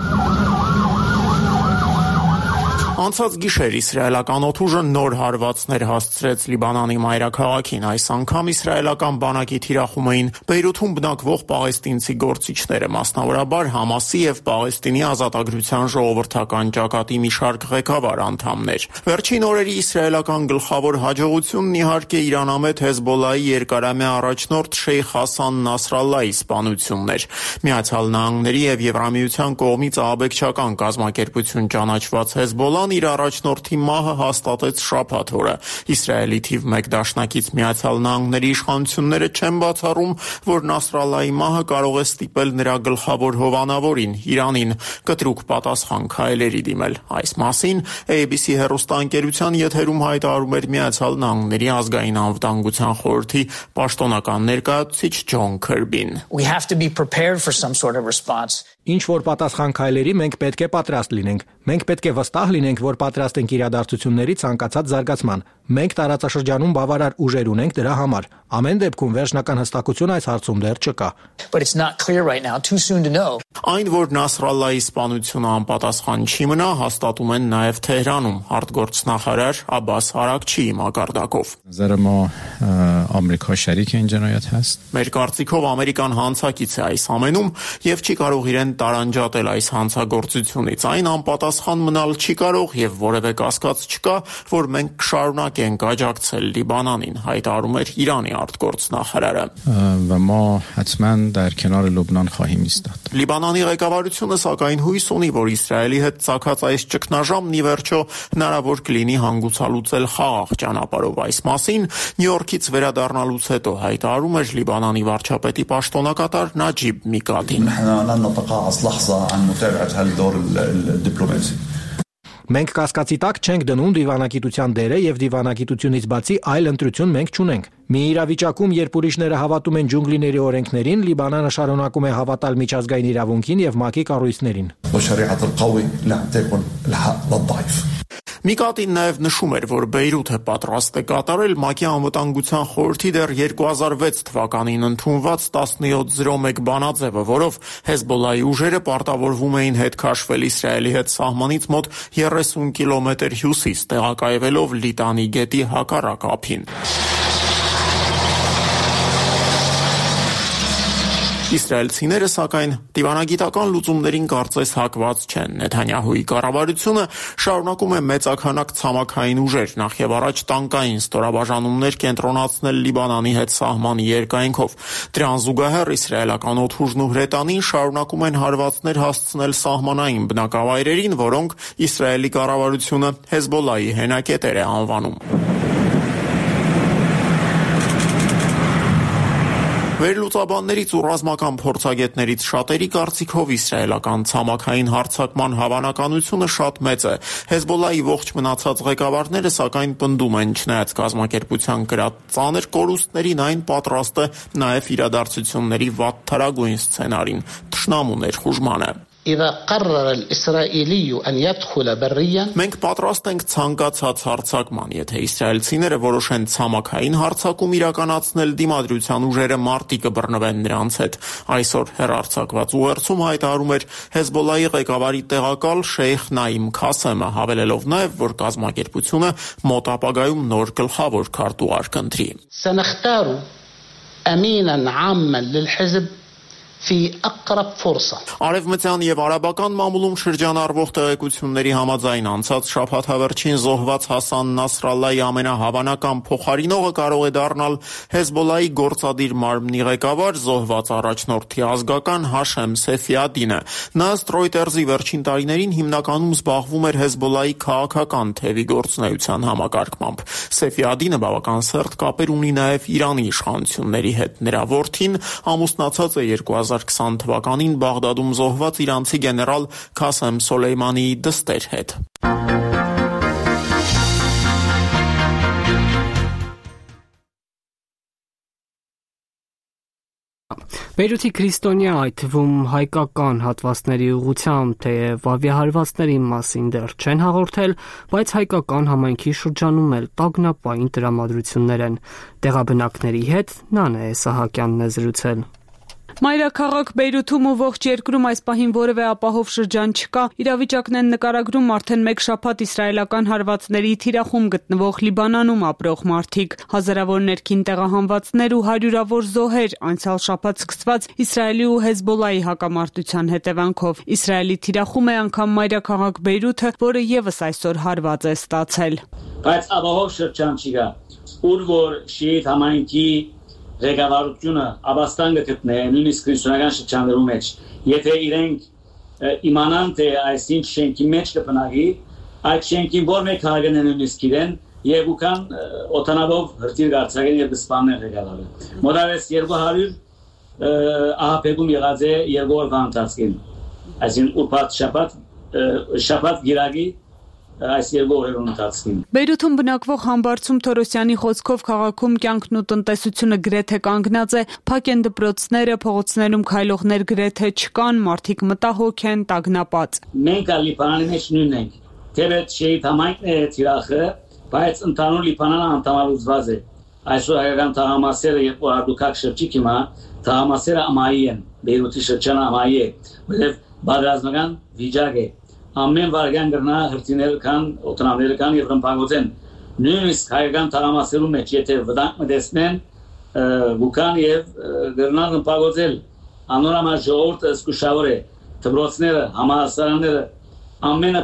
Անցած գիշեր իսրայելական օդուժը նոր հարվածներ հասցրեց Լիբանանի մայրաքաղաքին։ Այս անգամ իսրայելական բանակի թիրախում էին Բեյրութում բնակվող պաղեստինցի գործիչները, մասնավորաբար Համասի եւ Պաղեստինի ազատագրության ժողովրդական ճակատի մի շարք ղեկավար անդամներ։ Վերջին օրերի իսրայելական գլխավոր հաջողությունն իհարկե Իրանամետ Հեզբոլլահի երկարամյա առաջնորդ Շեյխ Հասան Նասրալլահի սպանությունն էր։ Միացյալ Նահանգների եւ Եվրամիության կողմից ահաբեկչական կազմակերպություն ճանաչված Հեզբոլլահն իր առաջնորդի մահը հաստատեց շաբաթ օրը։ Իսրայելի թիվ 1 դաշնակից Միացյալ Նահանգների իշխանությունները չեն բացառում, որ Նասրալլահի մահը կարող է ստիպել նրա գլխավոր հովանավորին Իրանին կտրուկ պատասխան քայլերի դիմել։ Այս մասին ABC հեռուստաընկերության եթերում հայտարարում էր Միացյալ Նահանգների ազգային անվտանգության խորհրդի պաշտոնական ներկայացուցիչ Ջոն Քըրբին։ Ինչ որ պատասխան քայլերի մենք պետք է պատրաստ լինենք։ Մենք պետք է վստահ լինենք, որ պատրաստ ենք իրադարձությունների ցանկացած զարգացման։ Մենք տարածաշրջանում բավարար ուժեր ունենք դրա համար։ Ամեն դեպքում վերջնական հստակություն այս հարցում դեռ չկա։ Այն, որ Նասրալլահի սպանությունը անպատասխան չի մնա, հաստատում են նաև Թեհրանում արտգործնախարար Աբբաս Արաքչիի մակարդակով։ Մեր կարծիքով ամերիկան հանցակից է այս ամենում եւ չի կարող իրեն տարանջատել այս հանցագործությունից։ Այն անպատասխան մնալ չի կարող եւ որևէ կասկած չկա, որ մենք կշարունակենք աջակցել Լիբանանին, հայտարարում էր Իրանի արտգործնախարարը։ Լիբանանի ղեկավարությունը սակայն հույս ունի, որ Իսրայելի հետ ցակած այս ճգնաժամն ի վերջո հնարավոր կլինի հանգուցալուծել խաղաղ ճանապարհով։ Այս մասին Նյու Յորքից վերադառնալուց հետո հայտարարում էր Լիբանանի վարչապետի պաշտոնակատար Նաջիբ Միկատին։ Մենք կասկածի տակ չենք դնում դիվանագիտության դերը եւ դիվանագիտությունից բացի այլ ընտրություն մենք չունենք։ Մի իրավիճակում, երբ ուրիշները հավատում են ջունգլիների օրենքներին, Լիբանանը շարունակում է հավատալ միջազգային իրավունքին եւ ՄԱԿ-ի կառույցներին։ Միկատին նաև նշում էր, որ Բեյրութը պատրաստ է կատարել ՄԱԿ-ի անվտանգության խորհրդի դեռ 2006 թվականին ընդունված 1701 բանաձևը, որով Հեզբոլլահի ուժերը պարտավորվում էին հետ քաշվել Իսրայելի հետ սահմանից մոտ 30 կիլոմետր հյուսիս, տեղակայվելով Լիտանի գետի հակառակ ափին։ Իսրայելցիները, սակայն, դիվանագիտական լուծումներին կարծես հակված չեն։ Նեթանյահուի կառավարությունը շարունակում է մեծաքանակ ցամաքային ուժեր, նախ եւ առաջ տանկային ստորաբաժանումներ կենտրոնացնել Լիբանանի հետ սահմանի երկայնքով։ Դրան զուգահեռ իսրայելական օդուժն ու հրետանին շարունակում են հարվածներ հասցնել սահմանային բնակավայրերին, որոնք Իսրայելի կառավարությունը Հեզբոլլահի հենակետեր է անվանում։ Վերլուծաբաններից ու ռազմական փորձագետներից շատերի կարծիքով իսրայելական ցամաքային հարձակման հավանականությունը շատ մեծ է։ Հեզբոլլահի ողջ մնացած ղեկավարները սակայն պնդում են, չնայած կազմակերպության կրած ծանր կորուստներին, այն պատրաստ է նաև իրադարձությունների վատթարագույն սցենարին, թշնամու ներխուժմանը։ Մենք պատրաստ ենք ցանկացած հարձակման, եթե իսրայելցիները որոշեն ցամաքային հարձակում իրականացնել, դիմադրության ուժերը մարտի կբռնվեն նրանց հետ։ Այսօր հեռարձակված ուղերձում հայտարարում էր Հեզբոլլահի ղեկավարի տեղակալ Շեյխ Նաիմ Քասեմը, հավելելով նաև, որ կազմակերպությունը մոտ ապագայում նոր գլխավոր քարտուղար կընտրի։ Արևմտյան եւ արաբական մամուլում շրջանառվող տեղեկությունների համաձայն անցած շաբաթ հավերչին զոհված Հասան Նասրալլահի ամենահավանական փոխարինողը կարող է դառնալ Հեզբոլլահի գործադիր մարմնի ղեկավար, զոհված առաջնորդի ազգական Հաշեմ Սեֆիադինը։ Նա ըստ Reuters-ի վերջին տարիներին հիմնականում զբաղվում էր Հեզբոլլահի քաղաքական թևի գործունեության համակարգմամբ։ Սեֆիադինը բավական սերտ կապեր ունի նաև Իրանի իշխանությունների հետ։ Նրա որդին ամուսնացած է 2020 թվականին Բաղդադում զոհված իրանցի գեներալ Քասեմ Սոլեյմանիի դստեր հետ։ Բեյրութի քրիստոնյա, այդ թվում հայկական հատվածների ուղղությամբ, թեև ավիահարվածների մասին դեռ չեն հաղորդել, բայց հայկական համայնքի շրջանում էլ տագնապային տրամադրություններ են։ Տեղաբնակների հետ Նանե Սահակյանն է զրուցել։ Մայրաքաղաք Բեյրութում ու ողջ երկրում այս պահին որևէ ապահով շրջան չկա։ Իրավիճակն են նկարագրում արդեն մեկ շաբաթ իսրայելական հարվածների թիրախում գտնվող Լիբանանում ապրող մարդիկ։ Հազարավոր ներքին տեղահանվածներ ու հարյուրավոր զոհեր անցյալ շաբաթ սկսված Իսրայելի ու Հեզբոլայի հակամարտության հետևանքով։ Իսրայելի թիրախում է անգամ մայրաքաղաք Բեյրութը, որը եւս այսօր հարված է ստացել։ Բայց ապահով շրջան չկա, ուր որ շիիտ համայնքի ղեկավարությունը ապաստան գտնե նույնիսկ քրիստոնեական շրջաններում մեջ եթե իրենք իմանան թե այսինչ շենքի մեջ կբնակի այդ շենքին որ մեկ հարգեն նույնիսկ իրեն եւ ուքան օտանավով հրթիռ գարցակեն եւ սպանեն ղեկավարը մոտավորապես 200 ահապեգում եղած է 2 օրվա ընթացքին այսին ուրբաթ շաբաթ գիրագի այս երկու օրերուն ընթացքին։ Բեյրութում բնակվող Համբարձում Թորոսյանի խոսքով քաղաքում կյանքն ու տնտեսությունը գրեթե կանգնած է, փակ են դպրոցները, փողոցներում քայլողներ գրեթե չկան, մարդիկ մտահոգ են, տագնապած։ Մենք Լիբանանի մեջ նույնն ենք։ Թեպետ շեիթ համայնքն է թիրախը, բայց ընդհանուր Լիբանանը անդամալուծված է։ Այսօր հայկական թաղամասերը երբ որ արտուքակ շրջիկ հիմա թաղամասերը ամայի են, Բեյրութի շրջանը ամայի է, որովհետև բادرազմական վիճակ է։ Ամեն վարյան գրնա հրթիռներ կան, օտանավներ կան եւ ռմբագոծեն։ Նույնիսկ հայկական թաղամասերում մեջ եթե վտանգ մտցնեն, գուքան եւ գրնան ռմբագոծել։ Անորամա ժողովուրդը զգուշավոր է, դպրոցները, համալսարանները ամենը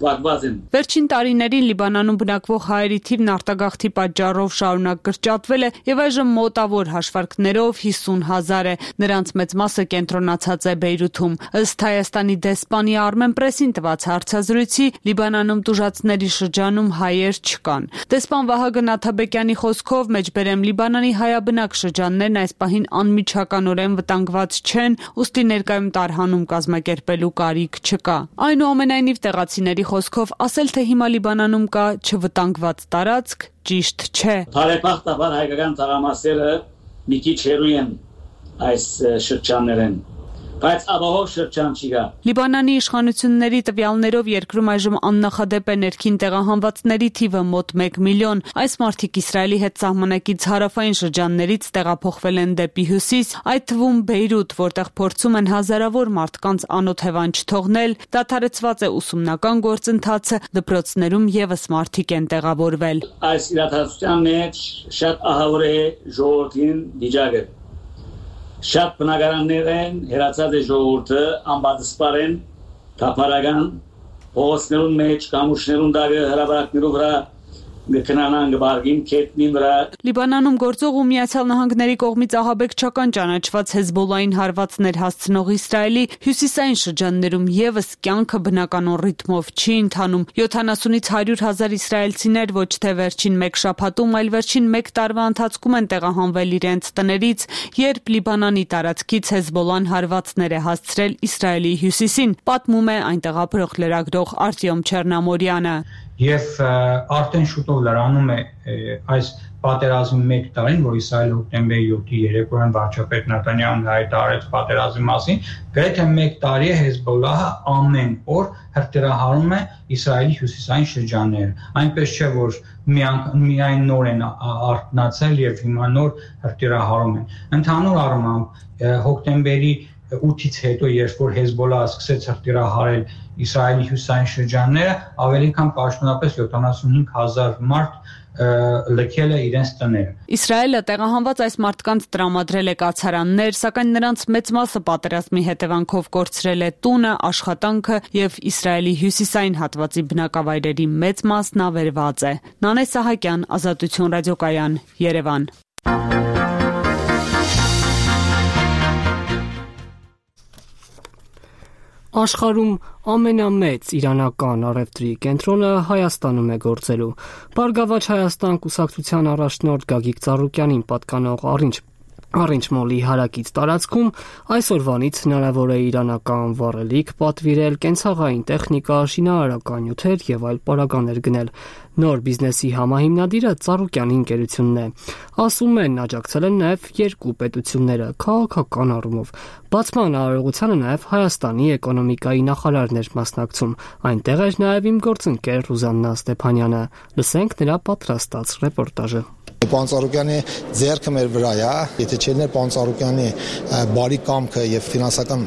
փակված են։ Վերջին տարիներին Լիբանանում բնակվող հայերի թիվն արտագաղթի պատճառով շարունակ կրճատվել է եւ այժմ մոտավոր հաշվարկներով 50,000 է։ Նրանց մեծ մասը կենտրոնացած է Բեյրութում։ Ըստ Հայաստանի դեսպանի Armen Press-ին տված հարցազրույցի Լիբանանում տուժածների շրջանում հայեր չկան։ Դեսպան Վահագն Աթաբեկյանի խոսքով մեջբերեմ Լիբանանի հայաբնակ շրջաններն այս պահին անմիջականորեն վտանգված չեն, ուստի ներկայում տարհանում կազմակերպելու կարիք չկա։ Այնուամենայնիվ տեղացիների խոսքով ասել թե հիմա Լիբանանում կա չվտանգված տարածք ճիշտ չէ։ Բարեբախտաբար հայկական թաղամասերը մի քիչ հեռու են այս շրջաններեն, բայց ապահով շրջան չկա։ Լիբանանի իշխանությունների տվյալներով երկրում այժմ աննախադեպ է ներքին տեղահանվածների թիվը մոտ 1 միլիոն։ Այս մարդիկ Իսրայելի հետ սահմանակից հարավային շրջաններից տեղափոխվել են դեպի հյուսիս, այդ թվում Բեյրութ, որտեղ փորձում են հազարավոր մարդկանց անոթ հևան չթողնել, դադարեցված է ուսումնական գործընթացը, դպրոցներում եւս մարդիկ են տեղավորվել։ Այս իրադարձության մեջ շատ ահավոր է ժողովրդին վիճակը։ Շատ բնակարաններ են, հերացած է ժողովուրդը, անբացասպար են, թափառական, փողոցներուն մեջ, կամուրջներուն դագը, հրապարակներու վրա գտնանան գբարգին կետնին վրա։ Լիբանանում գործող ու Միացյալ Նահանգների կողմից ահաբեկչական ճանաչված Հեզբոլային հարվածներ հասցնող Իսրայելի հյուսիսային շրջաններում եւս կյանքը բնականon ռիթմով չի ընթանում։ 70-ից 100,000 իսրայելցիներ ոչ թե վերջին մեկ շաբաթում, այլ վերջին մեկ տարվա ընթացքում են տեղահանվել իրենց տներից, երբ Լիբանանի տարածքից Հեզբոլան հարվածներ է հասցրել Իսրայելի հյուսիսին, պատմում է այնտեղ ապրող լրագրող Արտյոմ Չեռնամորյանը։ Եվ արդեն շուտով լրանում է այս պատերազմի 1 տարին, որ Իսրայելը հոկտեմբերի 7-ի երեկոյան վարչապետ Նեթանյահուն հայտարարեց պատերազմի մասին, գրեթե 1 տարի է Հեզբոլահը ամեն օր հրթիռահարում է Իսրայելի հյուսիսային շրջանները։ Այնպես չէ, որ միայն նոր են արթնացել եւ հիմա նոր հրթիռահարում են։ Ընդհանուր առմամբ հոկտեմբերի 8-ից հետո, երբ որ Հեզբոլահը սկսեց հրթիռահարել Իսրայելի հյուսիսային շրջանները, ավելի քան պաշտոնապես 75,000 մարդ լքել է իրենց տները։ Իսրայելը տեղահանված այս մարդկանց տրամադրել է կացարաններ, սակայն նրանց մեծ մասը պատերազմի հետևանքով կորցրել է տունը, աշխատանքը եւ Իսրայելի հյուսիսային հատվածի բնակավայրերի մեծ մասն ավերված է։ Նանե Սահակյան, Ազատություն ռադիոկայան, Երևան։ Աշխարհում ամենամեծ իրանական առևտրի կենտրոնը Հայաստանում է գործելու։ Բարգավաճ Հայաստան կուսակցության առաջնորդ Գագիկ Ծառուկյանին պատկանող Առինչ մոլի հարակից տարածքում այսօրվանից հնարավոր է իրանական վառելիք պատվիրել, կենցաղային տեխնիկա, շինարարական նյութեր եւ այլ պարագաներ գնել։ Նոր բիզնեսի համահիմնադիրը Ծառուկյանի ընկերությունն է։ Ասում են, աջակցել են նաեւ երկու պետությունները քաղաքական առումով։ Բացման արարողությանը նաեւ Հայաստանի էկոնոմիկայի նախարարն էր մասնակցում։ Այնտեղ էր նաեւ իմ գործընկեր Ռուզաննա Ստեփանյանը։ Լսենք նրա պատրաստած ռեպորտաժը։ Պարոն Ծառուկյանի ձեռքը մեր վրա է, եթե չելներ պարոն Ծառուկյանի բարի կամքը եւ ֆինանսական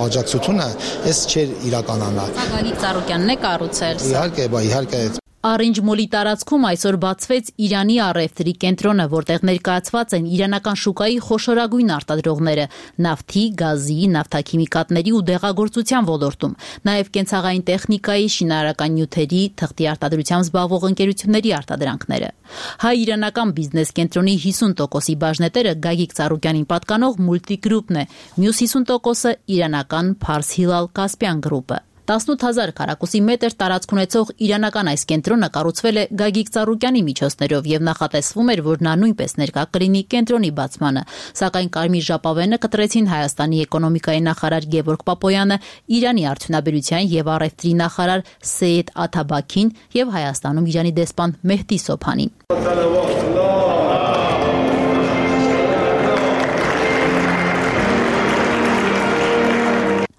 աջակցությունը, այս չէր իրականանա։ Գագիկ Ծառուկյանն է կառուցել։ Իհարկե։ Արինջ-մոլի տարածքում այսօր բացվեց Իրանի առևտրի կենտրոնը, որտեղ ներկայացված են իրանական շուկայի խոշորագույն արտադրողները նավթի, գազի, նավթաքիմիկատների ու դեղագործության ոլորտում, նաև կենցաղային տեխնիկայի, շինարարական նյութերի, թղթի արտադրությամբ զբաղվող ընկերությունների արտադրանքները։ Հայ-իրանական բիզնես կենտրոնի 50%-ի բաժնետերը Գագիկ Ծառուկյանին պատկանող Multigroup-ն է, մյուս 50%-ը իրանական Pars Hilal Caspian Group-ը։ 18,000 քառակուսի մետր տարածք ունեցող իրանական այս կենտրոնը կառուցվել է Գագիկ Ծառուկյանի միջոցներով եւ նախատեսվում էր, որ նա նույնպես ներկա կլինի կենտրոնի բացմանը, սակայն Կարմիր ժապավենը կտրեցին Հայաստանի էկոնոմիկայի նախարար Գևորգ Պապոյանը, Իրանի արդյունաբերության եւ առևտրի նախարար Սեյեդ Աթաբաքին եւ Հայաստանում Իրանի դեսպան Մեհդի Սոփանին։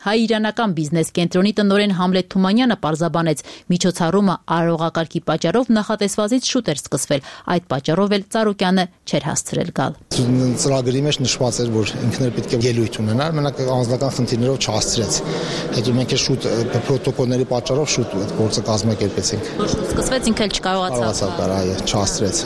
Հայ-իրանական բիզնես կենտրոնի տնօրեն Համլետ Թումանյանը պարզաբանեց, միջոցառումը արարողակարգի պատճառով նախատեսվածից շուտ էր սկսվել, այդ պատճառով էլ Ծառուկյանը չէր հասցրել գալ։ Ծրագրի մեջ նշված էր, որ ինքն էլ պետք է ելույթ ունենար, մենակ անձնական խնդիրներով չհասցրեց։ Հետո մենք էլ շուտ պրոտոկոլների պատճառով շուտ այդ գործը կազմակերպեցինք։ Շուտ սկսվեց, ինքն էլ չկարողացավ, չհասցրեց,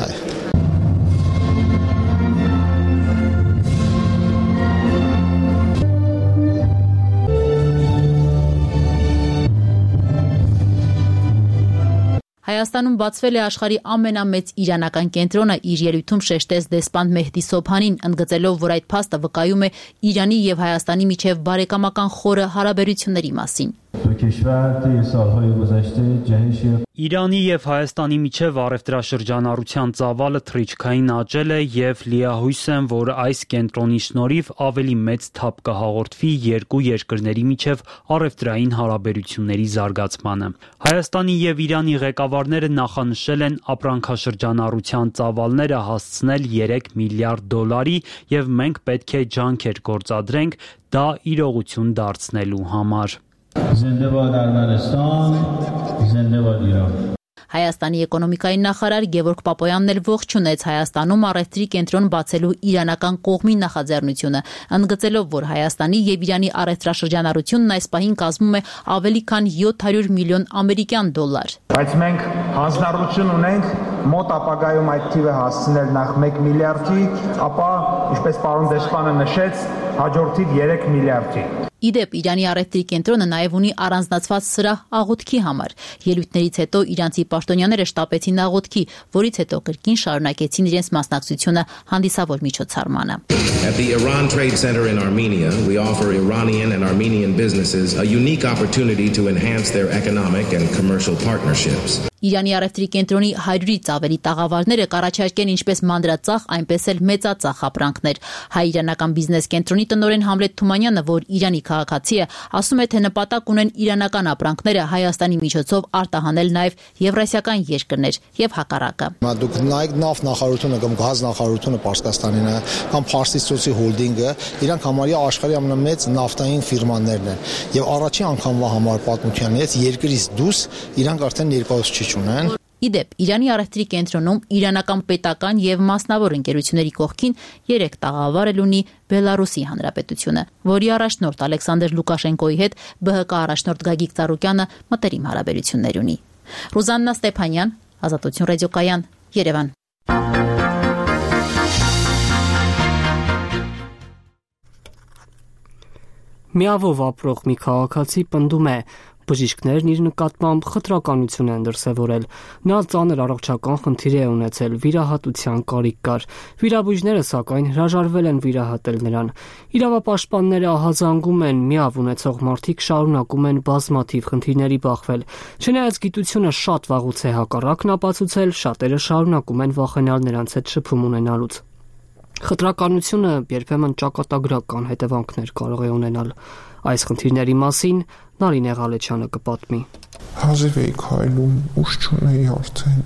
Հայաստանում բացվել է աշխարհի ամենամեծ իրանական կենտրոնը, իր ելույթում շեշտեց դեսպան Մեհդի Սոփանին, ընդգծելով, որ այդ փաստը վկայում է Իրանի եւ Հայաստանի միջև բարեկամական խորը հարաբերությունների մասին։ Իրանի եւ Հայաստանի միջև առևտրաշրջանառության ծավալը թռիչքային աճել է եւ լիահույս եմ, որ այս կենտրոնի շնորհիվ ավելի մեծ թափ կհաղորդվի երկու երկրների միջև առևտրային հարաբերությունների զարգացմանը։ Հայաստանի եւ Իրանի ղեկավարները նախանշել են ապրանքաշրջանառության ծավալները հասցնել 3 միլիարդ դոլարի եւ մենք պետք է ջանքեր գործադրենք դա իրողություն դարձնելու համար։ Զինդեբադ Արմենստան, զինդեբադ Իրան։ Հայաստանի էկոնոմիկայի նախարար Գևորգ Պապոյանն էլ ողջունեց Հայաստանում առևտրի կենտրոն բացելու իրանական կողմի նախաձեռնությունը, ընդգծելով, որ Հայաստանի եւ Իրանի առևտրաշրջանառությունն այս պահին կազմում է ավելի քան 700 միլիոն ամերիկյան դոլար։ Բայց մենք հանձնառություն ունենք մոտ ապագայում այդ թիվը հասցնել նախ 1 միլիարդի, ապա, ինչպես պարոն դեսպանը նշեց, հաջորդիվ 3 միլիարդի։ Իդեպ Իրանի առևտրի կենտրոնը նաև ունի առանձնացված սրահ աղոթքի համար։ Ելույթներից հետո իրանցի պաշտոնյաները շտապեցին աղոթքի, որից հետո կրկին շարունակեցին իրենց մասնակցությունը հանդիսավոր միջոցառմանը։ At the Iran Trade Center in Armenia, we offer Iranian and Armenian businesses a unique opportunity to enhance their economic and commercial partnerships. Իրանի առևտրի կենտրոնի 100-ից ավելի տաղավարները կառաջարկեն ինչպես մանրածախ, այնպես էլ մեծածախ ապրանքներ։ Հայ-իրանական բիզնես կենտրոնի տնօրեն Համլետ Թումանյանը, որ Իրանի քաղաքացի է, ասում է, թե նպատակ ունեն իրանական ապրանքները Հայաստանի միջոցով արտահանել նաև եվրասիական երկրներ եւ հակառակը։ Դուք նայեք նավթ նախարարությունը կամ գազ նախարարությունը Պարսկաստանին է, կամ Փարսից ծոցի հոլդինգը, իրանք համարյա աշխարհի ամենամեծ նավթային ֆիրմաներն են։ Եվ առաջին անգամվա համար պատմությանից երկրից դուրս իրանք արդեն ներկայացուցիչ ունեն։ Իդեպ, Իրանի առևտրի կենտրոնում իրանական պետական եւ մասնավոր ընկերությունների կողքին 3 տաղավար էլ ունի Բելարուսի Հանրապետությունը, որի առաջնորդ Ալեքսանդր Լուկաշենկոյի հետ ԲՀԿ առաջնորդ Գագիկ Ծառուկյանը մտերիմ հարաբերություններ ունի։ Ռուզաննա Ստեփանյան, Ազատություն ռադիոկայան, Երևան։ Միավով ապրող մի քաղաքացի պնդում է, բժիշկներն իր նկատմամբ խտրականություն են դրսևորել։ Նա ծանր առողջական խնդիր է ունեցել, վիրահատության կարիք կար։ Վիրաբույժները սակայն հրաժարվել են վիրահատել նրան։ Իրավապաշտպանները ահազանգում են, միավ ունեցող մարդիկ շարունակում են բազմաթիվ խնդիրների բախվել։ Չնայած գիտությունը շատ վաղուց է հակառակն ապացուցել, շատերը շարունակում են վախենալ նրանց հետ շփում ունենալուց։ Խտրականությունը երբեմն ճակատագրական հետևանքներ կարող է ունենալ։ Այս խնդիրների մասին Նարինե Ղալեչյանը կպատմի։ Հազիվ էի քայլում, ուշ չունեի արդեն։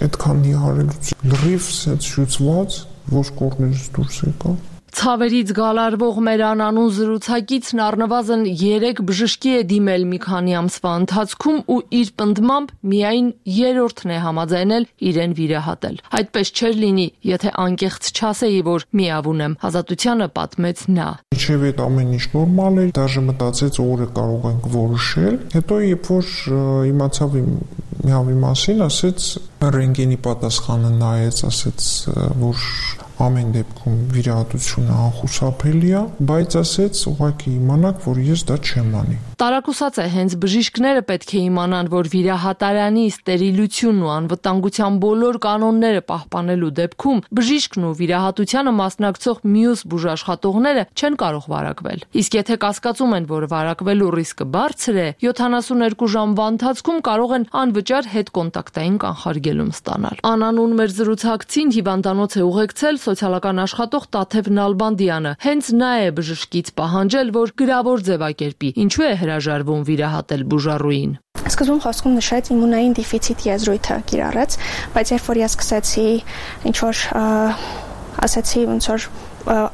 Այդքան նիհարելուց լրիվ սենց շուծված, որ կողմերից դուրս եկա։ Ցավերից գալարվող մեր անանուն զրուցակիցն առնվազն 3 բժշկի է դիմել մի քանի ամսվա ընթացքում ու իր պնդմամբ միայն 3-րդն է համաձայնել իրեն վիրահատել։ Այդպես չէր լինի, եթե անկեղծ չասեի, որ միավուն եմ, Ազատությանը պատմեց նա։ Իչև այդ ամեն ինչ նորմալ էր, դաժե մտածեց օրը կարող ենք որոշել։ Հետո երբ որ իմացավ միավի մասին, ասեց ռենտգենի պատասխանը նայեց, ասեց, որ ամեն դեպքում վիրահատությունը անխուսափելի է, բայց ասեց ուղղակի իմանաք, որ ես դա չեմ անի։ Տարակուսած է, հենց բժիշկները պետք է իմանան, որ վիրահատարանի ստերիլությունն ու անվտանգության բոլոր կանոնները պահպանելու դեպքում բժիշկն ու վիրահատությանը մասնակցող մյուս բուժաշխատողները չեն կարող վարակվել։ Իսկ եթե կասկածում են, որ վարակվելու ռիսկը բարձր է, 72 ժամվա ընթացքում կարող են անվճար հետկոնտակտային կանխարգելում ստանալ։ Անանուն մեր զրուցակցին հիվանդանոց է ուղեկցել սոցիալական աշխատող Տաթև Նալբանդյանը։ Հենց նա է բժշկից պահանջել, որ գրավոր ձևակերպի, ինչու է հրաժարվում վիրահատել բուժառուին։ Սկզբում խոսքում նշեց իմունային դեֆիցիտ եզրույթը կիրառեց, բայց երբ որ ես սկսեցի ինչ-որ ասացի, ոնց որ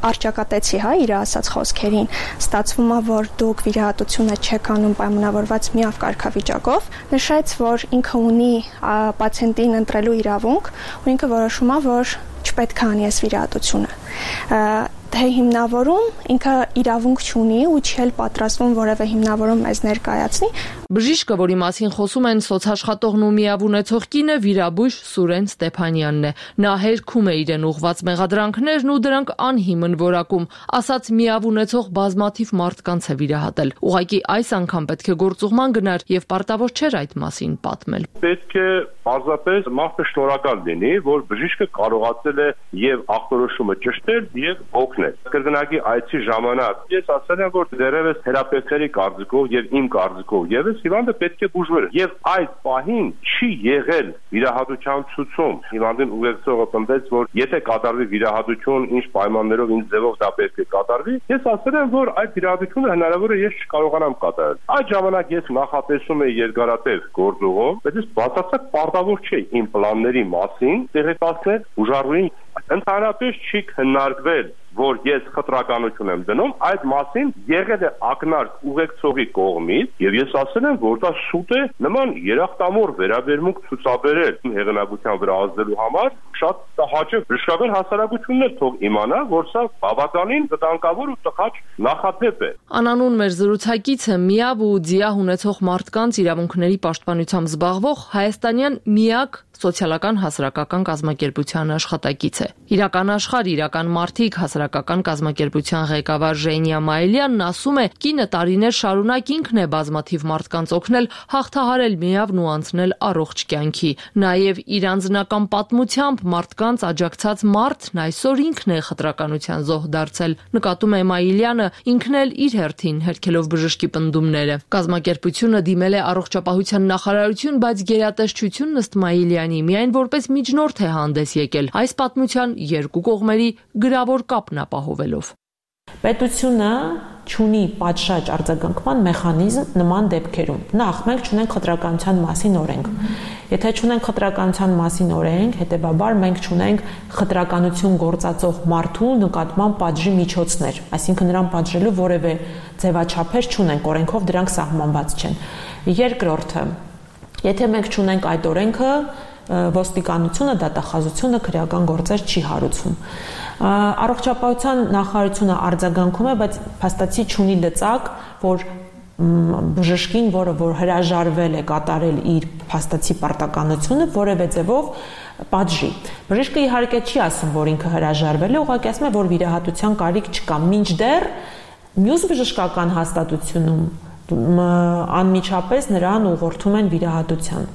արճակատեցի իր ասած խոսքերին, ստացվում է, որ դուք վիրահատությունը չեք անում պայմանավորված միավ կարգավիճակով, նշեց, որ ինքը ունի պացիենտին ընտրելու իրավունք ու ինքը որոշում է, որ չպետք է անի այս վիրահատությունը։ Թե հիմնավորում ինքը իրավունք չունի ու չի էլ պատրաստվում որևէ հիմնավորում մեզ ներկայացնի։ Բժիշկը, որի մասին խոսում են սոցաշխատողն ու միավ ունեցող կինը, վիրաբույժ Սուրեն Ստեփանյանն է։ Նա հերքում է իրեն ուղված մեղադրանքներն ու դրանք անհիմն որակում, ասաց միավ ունեցող բազմաթիվ մարդկանց է վիրահատել։ Ուղղակի այս անգամ պետք է գործուղման գնար եւ պարտավոր չէր այդ մասին պատմել։ Պետք է պարզապես մարդը շնորհակալ լինի, որ բժիշկը կարողացել է եւ ախտորոշումը ճշտել եւ օգնել։ Կրկնակի այցի ժամանակ ես ասել եմ, որ դերևս թերապևտների կարծիքով եւ իմ կարծիքով եւս հիվանդը պետք է բուժվեր եւ այդ պահին չի եղել վիրահատության ցուցում։ Հիվանդին ուղեկցողը պնդեց, որ եթե կատարվի վիրահատություն, ինչ պայմաններով, ինչ ձևով դա պետք է կատարվի, ես ասել եմ, որ այդ վիրահատությունը հնարավոր է ես չկարողանամ կատարել։ Այդ ժամանակ ես նախատեսում եի երկարատև գործողով, բայց ես բացարձակ պարտավոր չէի իմ պլանների մասին տեղեկացնել բուժառուին։ Ընդհանրապես չի քննարկվել, որ ես խտրականություն եմ դնում, այդ մասին եղել է ակնարկ ուղեկցողի կողմից եւ ես ասել եմ, որ դա շուտ է նման երախտամոռ վերաբերմունք ցուցաբերել հեղինակության վրա ազդելու համար, շատ հաճախ բժշկական հասարակությունն էլ թող իմանա, որ սա բավականին վտանգավոր ու տխաչ նախադեպ է։ Անանուն մեր զրուցակիցը միավ ու ձիահ ունեցող մարդկանց իրավունքների պաշտպանությամբ զբաղվող հայաստանյան միակ սոցիալական հասարակական կազմակերպության աշխատակից է։ Իրական աշխարհ, իրական մարդիկ հասարակական կազմակերպության ղեկավար Ժենիա Մայելյանն ասում է, կինը տարիներ շարունակ ինքն է բազմաթիվ մարդկանց օգնել հաղթահարել միավն ու անցնել առողջ կյանքի։ Նաև իր անձնական պատմությամբ մարդկանց աջակցած մարդն այսօր ինքն է խտրականության զոհ դարձել, նկատում է Մայելյանը, ինքն էլ իր հերթին հերքելով բժշկի պնդումները։ Կազմակերպությունը դիմել է առողջապահության նախարարություն, բայց գերատեսչությունն ըստ Մայելյանի միայն որպես միջնորդ է հանդես եկել այս պատմության երկու կողմերի գրավոր կապն ապահովելով։ Պետությունը չունի պատշաճ արձագանքման մեխանիզմ նման դեպքերում։ Նախ մենք չունենք խտրականության մասին օրենք։ Եթե չունենք խտրականության մասին օրենք, հետեւաբար մենք չունենք խտրականություն գործածող մարդու նկատմամբ պատժի միջոցներ, այսինքն նրան պատժելու որևէ ձևաչափեր չունենք, օրենքով դրանք սահմանված չեն։ Երկրորդը, եթե մենք չունենք այդ օրենքը, ոստիկանությունը, դատախազությունը քրեական գործեր չի հարուցում։ Առողջապահության նախարարությունը արձագանքում է, բայց փաստացի չունի լծակ, որ բժշկին, որը որ հրաժարվել է կատարել իր փաստացի պարտականությունը, որևէ ձևով պատժի։ Բժիշկը իհարկե չի ասում, որ ինքը հրաժարվել է, ուղղակի ասում է, որ վիրահատության կարիք չկա, մինչդեռ մյուս բժշկական հաստատությունում անմիջապես նրան ուղղորդում են վիրահատության։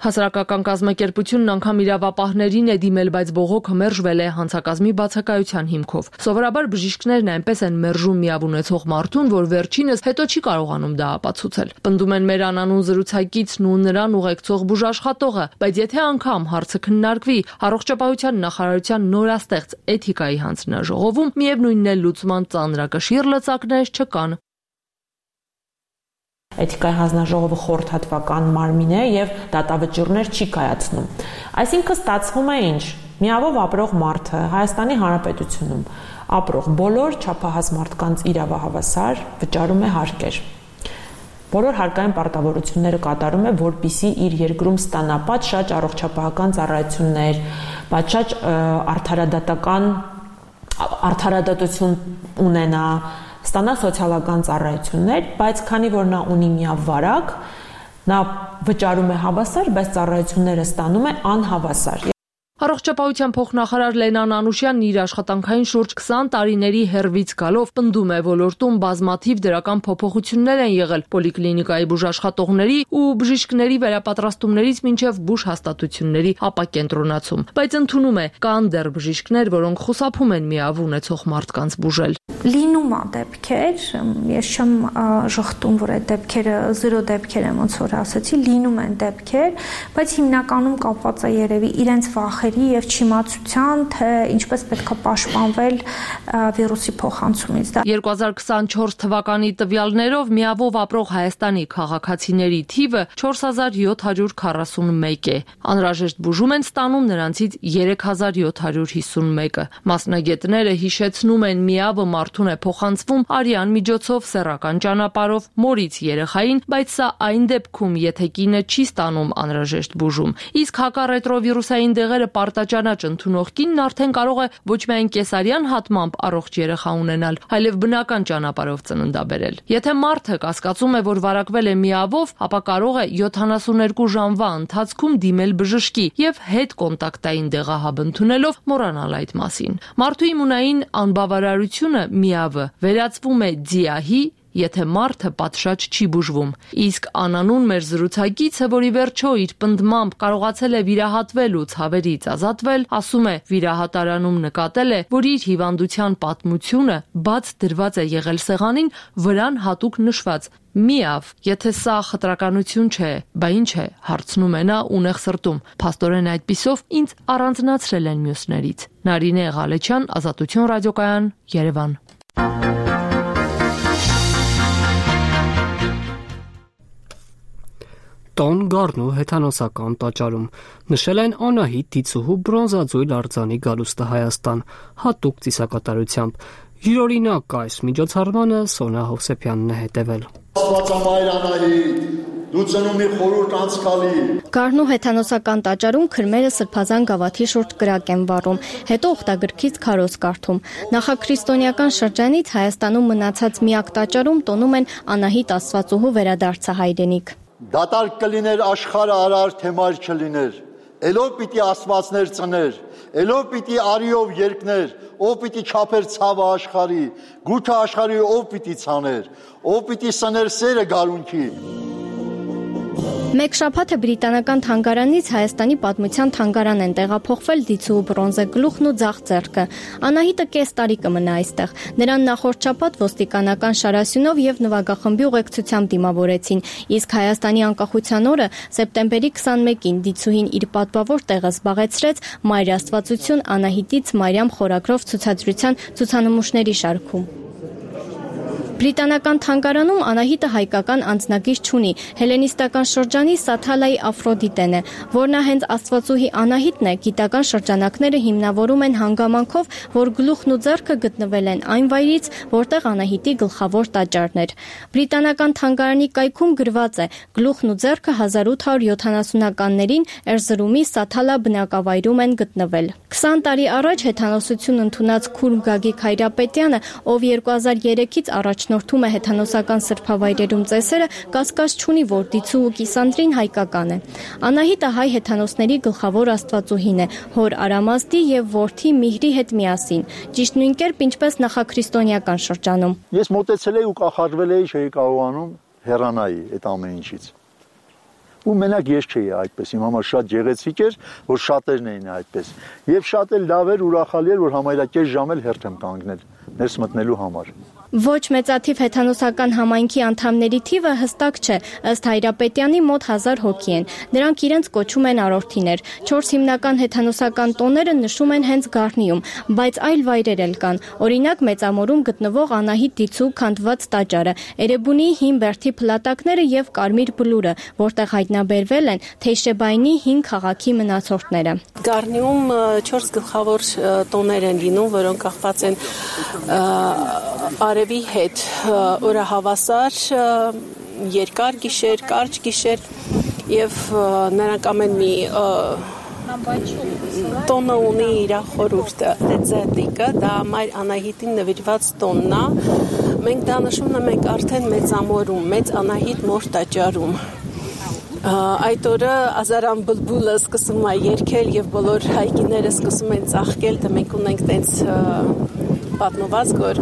Հասարակական կազմակերպությունն անգամ իրավապահներին է դիմել, բայց բողոքը մերժվել է հանցակազմի բացակայության հիմքով։ Սովորաբար բժիշկներն այնպես են մերժում միավ ունեցող մարդուն, որ վերջինս հետո չի կարողանում դա ապացուցել։ Պնդում են մեր անանուն զրուցակիցն ու նրան ուղեկցող բուժաշխատողը, բայց եթե անգամ հարցը քննարկվի առողջապահության նախարարության նորաստեղծ էթիկայի հանձնաժողովում, միևնույնն է լուծման ծանրակշիռ լծակներ չկան։ Էթիկայի հանձնաժողովը խորհրդատվական մարմին է եւ դատավճիռներ չի կայացնում։ Այսինքն ստացվում է ինչ։ Միավով ապրող մարդը Հայաստանի Հանրապետությունում ապրող բոլոր չափահաս մարդկանց իրավահավասար վճարում է հարկեր։ Բոլոր հարկային պարտավորությունները կատարում է, որպեսզի իր երկրում ստանա պատշաճ առողջապահական ծառայություններ, պատշաճ արդարադատություն ունենա, ստանա սոցիալական ծառայություններ, բայց քանի որ նա ունի միավարակ, նա վճարում է հավասար, բայց ծառայությունները ստանում է անհավասար։ Առողջապահության փոխնախարար Լենան Անուշյանն իր աշխատանքային շուրջ 20 տարիների հեռվից գալով պնդում է, ոլորտում բազմաթիվ դրական փոփոխություններ են եղել պոլիկլինիկայի բուժաշխատողների ու բժիշկների վերապատրաստումներից մինչև բուժհաստատությունների ապակենտրոնացում, բայց ընդունում է, կան դեռ բժիշկներ, որոնք խուսափում են միավ ունեցող մարդկանց բուժել։ Լինում է դեպքեր, ես չեմ ժխտում, որ այդ դեպքերը 0 դեպքեր եմ, ոնց որ ասացի, լինում են դեպքեր, բայց հիմնականում կապված է երևի իրենց վախերի եւ չիմացության, թե ինչպես պետք է պաշտպանվել վիրուսի փոխանցումից։ 2024 թվականի տվյալներով միավով ապրող Հայաստանի քաղաքացիների թիվը 4741 է։ Անհրաժեշտ բուժում են ստանում նրանցից 3751-ը։ Մասնագետները հիշեցնում են միավը մարդուն է փոխանցվում արյան միջոցով, սեռական ճանապարհով, մորից երեխային, բայց սա այն դեպքում, եթե կինը չի ստանում անհրաժեշտ բուժում։ Իսկ հակառետրովիրուսային դեղերը պարտաճանաչ ընդունող կինն արդեն կարող է ոչ միայն կեսարյան հատմամբ առողջ երեխա ունենալ, այլև բնական ճանապարհով ծննդաբերել։ Եթե մարդը կասկածում է, որ վարակվել է միավով, ապա կարող է 72 ժամվա ընթացքում դիմել բժշկի եւ հետ կոնտակտային դեղահաբ ընդունելով մոռանալ այդ մասին։ Մարդու իմունային անբավարարությունը միավը վերածվում է ձիահի, եթե մարդը պատշաճ չի բուժվում։ Իսկ անանուն մեր զրուցակիցը, որի վերջո իր պնդմամբ կարողացել է վիրահատվել ու ցավերից ազատվել, ասում է, վիրահատարանում նկատել է, որ իր հիվանդության պատմությունը բաց դրված է եղել սեղանին, վրան հատուկ նշված միավ, եթե սա խտրականություն չէ, բա ինչ է, հարցնում է նա ունեղ սրտում։ Փաստորեն այդպիսով ինձ առանձնացրել են մյուսներից։ Նարինե Ղալեչյան, Ազատություն ռադիոկայան, Երևան։ Տոն գառնու հեթանոսական տաճարում նշել են Անահիտ Դիցուհու բրոնզաձույլ արձանի գալուստը Հայաստան հատուկ ծիսակատարությամբ։ Յուրօրինակ այս միջոցառմանը Սոնա Հովսեփյանն է հետևել։ Աստվածամայր Անահիտ, դու ծնումի խորհուրդ անցկալի։ Գառնու հեթանոսական տաճարում քրմերը սրբազան գավաթի շուրջ կրակ են վառում, հետո ուխտագրքից քարոզ կարդում։ Նախաքրիստոնեական շրջանից Հայաստանում մնացած միակ տաճարում տոնում են Անահիտ Աստվածուհու վերադարձը հայրենիք։ Դատարկ կլիներ աշխարհը արար թե մայր չլիներ, ելով պիտի աստվածներ ծներ, ելով պիտի արիով երկներ, ով պիտի չափեր ցավը աշխարհի, գութը աշխարհի ով պիտի ցաներ, ով պիտի սներ սերը գարունքի։ Մեկ շաբաթ է բրիտանական թանգարանից Հայաստանի պատմության թանգարան են տեղափոխվել Դիցուհու բրոնզե գլուխն ու ձախ ձեռքը։ Անահիտը կես տարի կմնա այստեղ։ Նրան նախորդ շաբաթ ոստիկանական շարասյունով եւ նվագախմբի ուղեկցությամբ դիմավորեցին, իսկ Հայաստանի անկախության օրը սեպտեմբերի 21-ին Դիցուհին իր պատվավոր տեղը զբաղեցրեց Մայր Աստվածություն Անահիտից Մարիամ խորագրով ցուցադրության ցուցանմուշների շարքում։ Բրիտանական թանգարանում Անահիտը հայկական անձնագիր չունի, հելենիստական շրջանի Սաթալայի Աֆրոդիտեն է, որն հենց Աստվածուհի Անահիտն է, գիտական շրջանակները հիմնավորում են հանգամանքով, որ գլուխն ու ձեռքը գտնվել են այն վայրից, որտեղ Անահիտի գլխավոր տաճարն էր։ Բրիտանական թանգարանի կայքում գրված է. գլուխն ու ձեռքը 1870-ականներին Էրզրումի Սաթալա բնակավայրում են գտնվել։ 20 տարի առաջ հեթանոսություն ընդունած Քուրմ Գագիկ Հայրապետյանը, ով 2003-ից առաջնորդում է հեթանոսական սրբավայրերում ծեսերը, կասկած չունի, որ Դիցուհու կիսանդրին հայկական է։ Անահիտը հայ հեթանոսների գլխավոր աստվածուհին է, հոր Արամազդի եւ որդի Միհրի հետ միասին, ճիշտ նույն կերպ ինչպես նախաքրիստոնեական շրջանում։ Ես մտածել էի ու կախարդվել էի, չէի կարողանում հեռանայի այդ ամեն ինչից։ Ու մենակ ես չէի այդպես, իմ համար շատ գեղեցիկ էր, որ շատերն էին այդպես։ Եվ շատ էլ լավ էր, ուրախալի էր, որ համարյա կես ժամ էլ հերթ եմ կանգնել ներս մտնելու համար։ Ոչ մեծաթիվ հեթանոսական համայնքի անդամների թիվը հստակ չէ, ըստ Հայրապետյանի մոտ 1000 հոգի են։ Նրանք իրենց կոչում են արորդիներ։ 4 հիմնական հեթանոսական տոները նշում են հենց Գառնիում, բայց այլ վայրեր էլ կան։ Օրինակ Մեծամորում գտնվող Անահիտ Դիցու քանդված տաճարը, Էրեբունի հին Բերդի փլատակները եւ Կարմիր բլուրը, որտեղ հայտնաբերվել են Թեյշեբայնի հին քաղաքի մնացորդները։ Գառնիում 4 գլխավոր տոներ են լինում, որոնք կախված են արևի հետ, օրը հավասար, երկար գիշեր, կարճ գիշեր եւ նրանք ամեն մի տոնը ունի իր խորհուրդը, դեձետիկը, դա Մայր Անահիտին նվիրված տոնն է։ Մենք դա նշում ենք արդեն Մեծամորում, Մեծ Անահիտ մոր տաճարում։ Այդ օրը Ազարան բլբուլը սկսում է երգել եւ բոլոր հայկիները սկսում են ծաղկել, դե մենք ունենք տենց պատմվածք, որ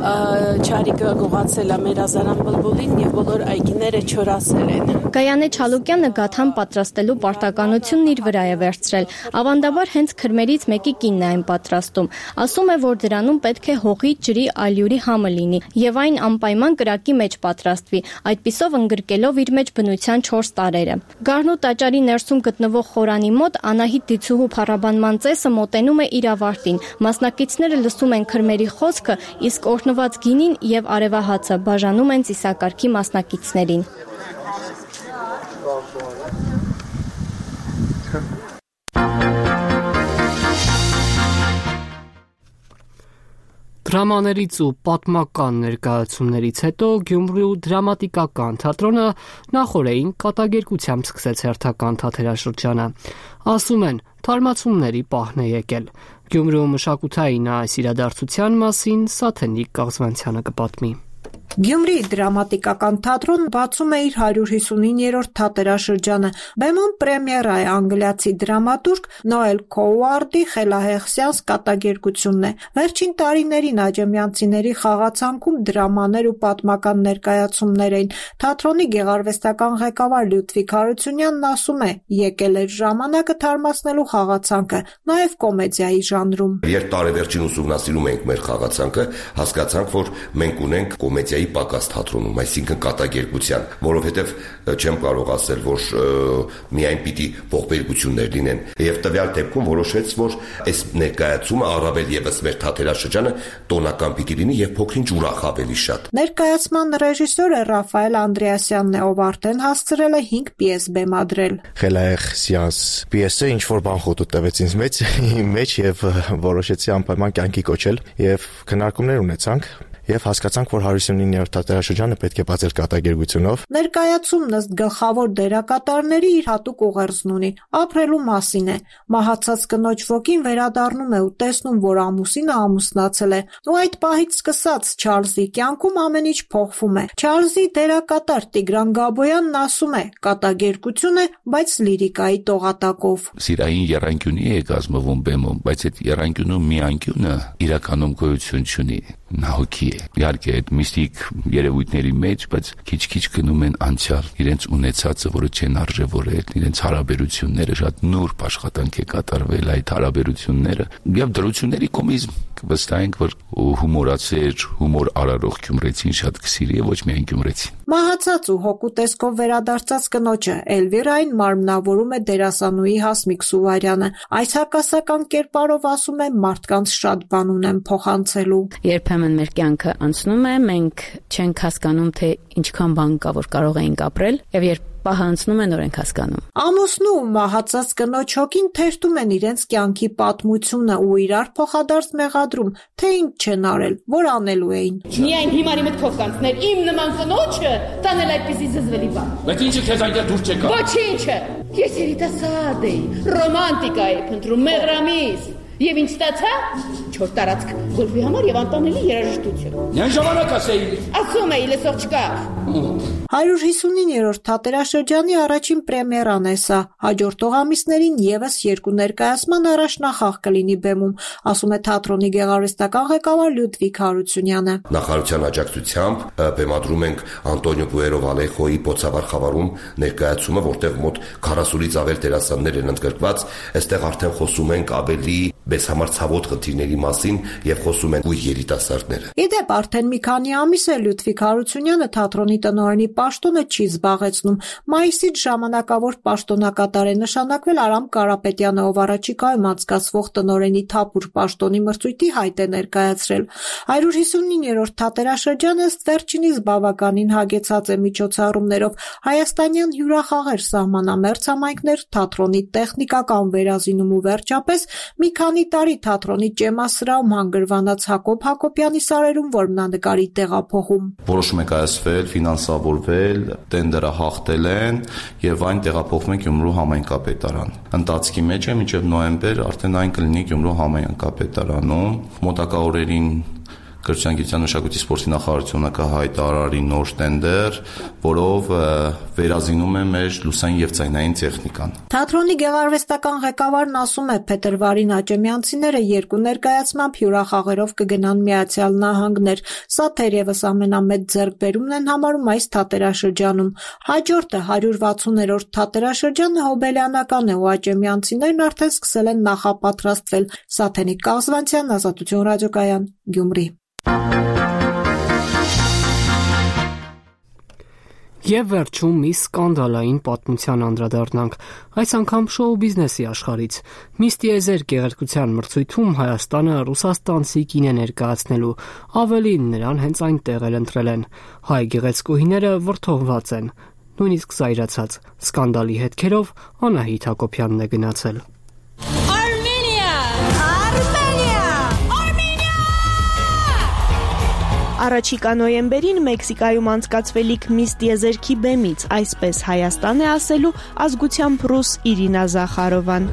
Չարիկը գողացել է մեր Ազարան բլբուլին եւ բոլոր այգիները չորացել են։ Գայանե Չալուկյանը գաթան պատրաստելու պարտականությունն իր վրա է վերցրել։ Ավանդաբար հենց քրմերից մեկի կինն է այն պատրաստում։ Ասում է, որ դրանում պետք է հողի, ջրի, ալյուրի համը լինի եւ այն անպայման կրակի մեջ պատրաստվի, այդպիսով ընդգրկելով իր մեջ բնության 4 տարերը։ Գառնու տաճարի ներսում գտնվող խորանի մոտ Անահիտ Դիցուհու փառաբանման ծեսը մոտենում է իր ավարտին։ Մասնակիցները լսում են քրմերի խոսքը, իսկ օրհնված գինին եւ արևահացը բաժանում են ծիսակարգի մասնակիցներին։ Դրամաներից ու պատմական ներկայացումներից հետո Գյումրու դրամատիկական թատրոնը նախորդին կատակերգությամբ սկսեց հերթական թատերաշրջանը։ Ասում են, թարմացումների պահն է եկել։ Գյումրու մշակութային այս իրադարձության մասին Սաթենիկ Կաղզվանցյանը կպատմի։ Գյումրի դրամատիկական թատրոնը բացում է իր 159-րդ թատերաշրջանը։ Բեմում պրեմիերա է անգլիացի դրամատուրգ Նոել Քոուարդի խելահեղսյանս կատակերգությունն է։ Վերջին տարիներին աջեմյանցիների խաղացանքում դրամաներ ու պատմական ներկայացումներ էին։ Թատրոնի գեղարվեստական ղեկավար Լյուդվիգ Հարությունյանն ասում է, եկել էր ժամանակը թարմացնելու խաղացանքը, նաև կոմեդիայի ժանրում։ Երբ տարեվերջին ուսումնասիրում ենք մեր խաղացանքը, հասկացանք, որ մենք ունենք կոմեդիայի պակաս թատրոնում, այսինքն կատակերգության, որովհետև չեմ կարող ասել, որ միայն պիտի ողբերգություններ լինեն։ Եվ տվյալ դեպքում որոշվեց, որ այս ներկայացումը առավել եւս մեր թատերաշրջանը տոնական պիտի լինի եւ փոքրինչ ուրախ ավելի շատ։ Ներկայացման ռեժիսորը Ռաֆայել Անդրեասյանն է, ով արդեն հասցրել է 5 պիես բեմադրել։ Խելահեղսյանս պիեսը ինչ որ բան խոտու տվեց ինձ մեջ եւ որոշեցի անպայման կյանքի կոչել եւ քննարկումներ ունեցանք։ Եվ հասկացանք, որ 159-րդ թատերաշրջանը պետք է բացել կատակերգությունով։ Ներկայացումն ըստ գլխավոր դերակատարների իր հատուկ ուղերձն ունի, ապրելու մասին է։ Մահացած կնոջ ոգին վերադառնում է ու տեսնում, որ ամուսինը ամուսնացել է։ Ու այդ պահից սկսած Չարլզի կյանքում ամեն ինչ փոխվում է։ Չարլզի դերակատար Տիգրան Գաբոյանն ասում է, կատակերգություն է, բայց լիրիկայի տողատակով։ Սիրային եռանկյունի է կազմվում բեմում, բայց այդ եռանկյունու մի անկյունը իրականում գոյություն չունի։ Նա հոգի է։ Իհարկե այդ միստիկ երևույթների մեջ, բայց քիչ-քիչ գնում են անցյալ, իրենց ունեցածը, որը չեն արժևորել, իրենց հարաբերությունները շատ նուրբ աշխատանք է կատարվել այդ հարաբերությունները եւ դրությունների կոմիզմ վստահ ենք, որ հումորացեր, հումոր արարող գյումրեցին շատ կսիրի եւ ոչ միայն գյումրեցին։ Մահացած ու հոգու տեսքով վերադարձած կնոջը Էլվիրային մարմնավորում է դերասանուհի Հասմիկ Սուվարյանը։ Այս հակասական կերպարով ասում է մարդկանց շատ բան ունեն փոխանցելու։ Երբեմն մեր կյանքը անցնում է, մենք չենք հասկանում, թե ինչքան բան կա, որ կարող էինք ապրել, եւ երբ պահը անցնում է, նոր ենք հասկանում։ Ամուսնու ու մահացած կնոջ հոգին թերթում են իրենց կյանքի պատմությունը ու իրար փոխադարձ մեղադրում, թե ինչ չեն արել, որ անելու էին։ Միայն հիմարի մտքով կանցներ իմ նման կնոջը տանել այդպիսի զզվելի բան։ Բայց ինչը քեզ այնտեղ դուր չեկա։ Ոչինչը։ Ես երիտասարդ էի, ռոմանտիկա էի փնտրում, մեղրամիզ։ Եվ ինչ ստացա? 4 տարածք գոլֆի համար եւ անտանելի երաժշտություն։ Նույն ժամանակ ասեի։ Ասում էի, լսող չկա։ մոտ։ 159-րդ թատերաշրջանի առաջին պրեմիերան է սա։ Հաջորդող ամիսներին եւս 2 ներկայացման առաջնախաղ կլինի բեմում, ասում է թատրոնի գեղարվեստական ղեկավար Լյուդվիգ Հարությունյանը։ Նախարարության աջակցությամբ բեմադրում ենք Անտոնիո Պուերո Վալեխոյի Պոցավար խավարում ներկայացումը, որտեղ մոտ 40-ից ավել դերասաններ են ընդգրկված։ Այստեղ արդեն խոսում ենք ավելի մեզ համար ցավոտ խնդիրների մասին եւ խոսում են ույր երիտասարդները։ Իդեպ արդեն մի քանի ամիս է Լյուդվիգ Հարությունյանը թատրոնի տնօրենի պաշտոնը չի զբաղեցնում։ Մայիսից ժամանակավոր պաշտոնակատար է նշանակվել Արամ Կարապետյանը, ով առաջիկայում անցկացվող տնօրենի թափուր պաշտոնի մրցույթի հայտ է ներկայացրել։ 159-րդ թատերաշրջանը ըստ վերջինիս բավականին հագեցած է միջոցառումներով։ Հայաստանյան հյուրախաղեր, սահմանամերձ համայնքներ, թատրոնի տեխնիկական վերազինում ու վերջապես մի քանի տարի թատրոնի ճեմասրահում հանգրվանած Հակոբ Հակոբյանի սարերում որմնանկարի տեղափոխում։ Որոշում է կայացվել, ֆինանսավորվել, տենդերը հաղթել են եւ այն տեղափոխվում է Գյումրու համայնքապետարան։ Ընթացքի մեջ է մինչեւ նոյեմբեր արդեն այն կլինի Գյումրու համայնքապետարանում։ Մոտակա օրերին Կրթության, գիտության, մշակույթի, սպորտի նախարարությունը կհայտարարի նոր տենդեր, որով վերազինում է մեր լուսային եւ ձայնային տեխնիկան։ Թատրոնի գեղարվեստական ղեկավարն ասում է, փետրվարին աճեմյանցիները 2 ներկայացմամբ հյուրախաղերով կգնան Միացյալ Նահանգներ։ Սա թերևս ամենամեծ ձեռքբերումն են համարում այս թատերաշրջանում։ Հաջորդը 160-րդ թատերաշրջանը հոբելյանական է ու աճեմյանցիներն արդեն սկսել են նախապատրաստվել։ Սաթենիկ Կազվանցյան, Ազատություն ռադիոկայան, Գյումրի։ Եվ վերջում մի սկանդալային պատմության անդրադառնանք, այս անգամ շոու բիզնեսի աշխարհից։ Միս Տիեզեր գեղեցկության մրցույթում Հայաստանը ռուսաստանցի կին է ներկայացնելու, ավելին նրան հենց այնտեղ էլ ընտրել են։ Հայ գեղեցկուհիները վրդովված են, նույնիսկ զայրացած։ Սկանդալի հետքերով Անահիտ Հակոբյանն է գնացել։ Առաջիկա նոյեմբերին Մեքսիկայում անցկացվելիք Միս Տիեզերքի բեմից, այսպես Հայաստան է ասելու ազգությամբ ռուս Իրինա Զախարովան։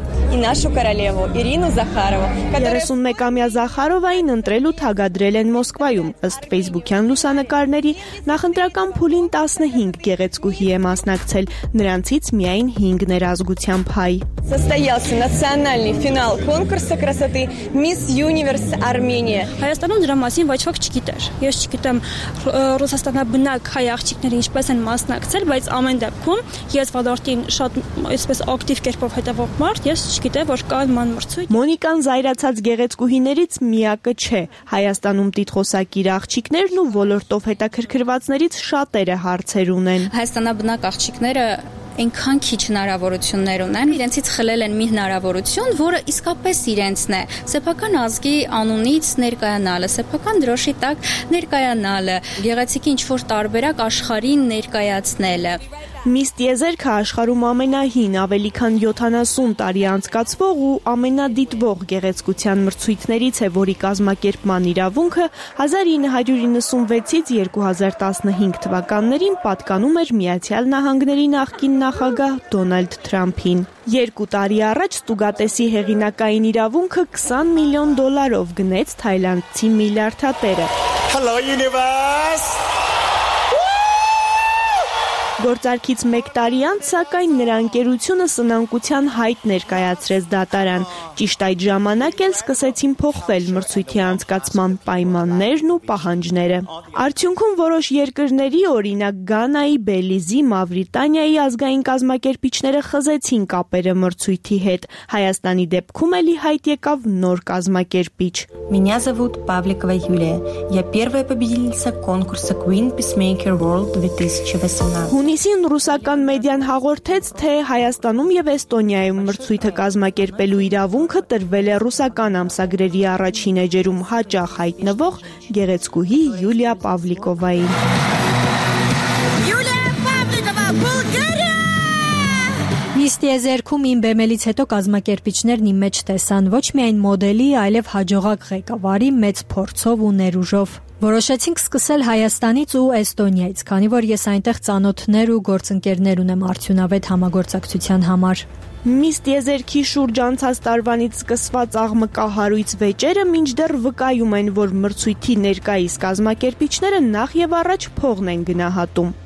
31-ամյա Զախարովային ընտրել ու թագադրել են Մոսկվայում, ըստ ֆեյսբուքյան լուսանկարների, նախընտրական փուլին 15 գեղեցկուհի է մասնակցել, նրանցից միայն 5-ն էր ազգությամբ հայ։ Состоялся национальный финал конкурса красоты Miss Universe Armenia. Հայաստանում դրա մասին ոչ ոք չգիտեր։ Ես չգիտեմ ռուսաստանաբնակ հայ աղջիկները ինչպես են մասնակցել, բայց ամեն դեպքում ես ոլորտին շատ այսպես ակտիվ կերպով հետևող մարդ, ես չգիտեմ, որ կա նման մրցույթ։ Մոնիկան զայրացած գեղեցկուհիներից միակը չէ։ Հայաստանում տիտղոսակիր աղջիկներն ու ոլորտով հետաքրքրվածներից շատերը հարցեր ունեն։ Հայաստանաբնակ աղջիկները այնքան քիչ հնարավորություններ ունեն, իրենցից խլել են մի հնարավորություն, որը իսկապես իրենցն է։ Սեփական ազգի անունից ներկայանալը, սեփական դրոշի տակ ներկայանալը, գեղեցիկի ինչ-որ տարբերակ աշխարհին ներկայացնելը։ Միս Տիեզերքը աշխարհում ամենահին, ավելի քան 70 տարի անցկացվող ու ամենադիտվող գեղեցկության մրցույթներից է, որի կազմակերպման իրավունքը 1996-ից 2015 թվականներին պատկանում էր Միացյալ Նահանգների նախկին նախագահ Դոնալդ Թրամփին։ 2 տարի առաջ Ստուգատեսի հեղինակային իրավունքը $20 միլիոն գնեց թայլանդցի միլիարդատերը։ Hello universe. Գործարքից 1 տարի անց, սակայն նրա ընկերությունը սնանկության հայտ ներկայացրեց դատարան։ Ճիշտ այդ ժամանակ էլ սկսեցին փոխվել մրցույթի անցկացման պայմաններն ու պահանջները։ Արդյունքում որոշ երկրների, օրինակ Գանայի, Բելիզի, Մավրիտանիայի ազգային կազմակերպիչները խզեցին կապերը մրցույթի հետ։ Հայաստանի դեպքում էլի հայտ եկավ նոր կազմակերպիչ։ Меня зовут Павликова Юлия. Я первая победительница конкурса Queen Peacemaker World 2018. Հունիսին ռուսական մեդիան հաղորդեց, թե Հայաստանում եւ Էստոնիայում մրցույթը կազմակերպելու իրավունքը տրվել է ռուսական ամսագրերի առաջին էջերում հաճախ հայտնվող գեղեցկուհի Յուլիա Պավլիկովային։ Միս Տիեզերքում իմ բեմելից հետո կազմակերպիչներն իմ մեջ տեսան ոչ միայն մոդելի, այլև հաջողակ ղեկավարի մեծ փորձով ու ներուժով։ Որոշեցինք սկսել Հայաստանից ու Էստոնիայից, քանի որ ես այնտեղ ծանոթներ ու գործընկերներ ունեմ արդյունավետ համագործակցության համար։ Միս Տիեզերքի շուրջ անցած տարվանից սկսված աղմկահարույց վեճերը մինչդեռ վկայում են, որ մրցույթի ներկայիս կազմակերպիչները նախ եւ առաջ փողն են գնահատում։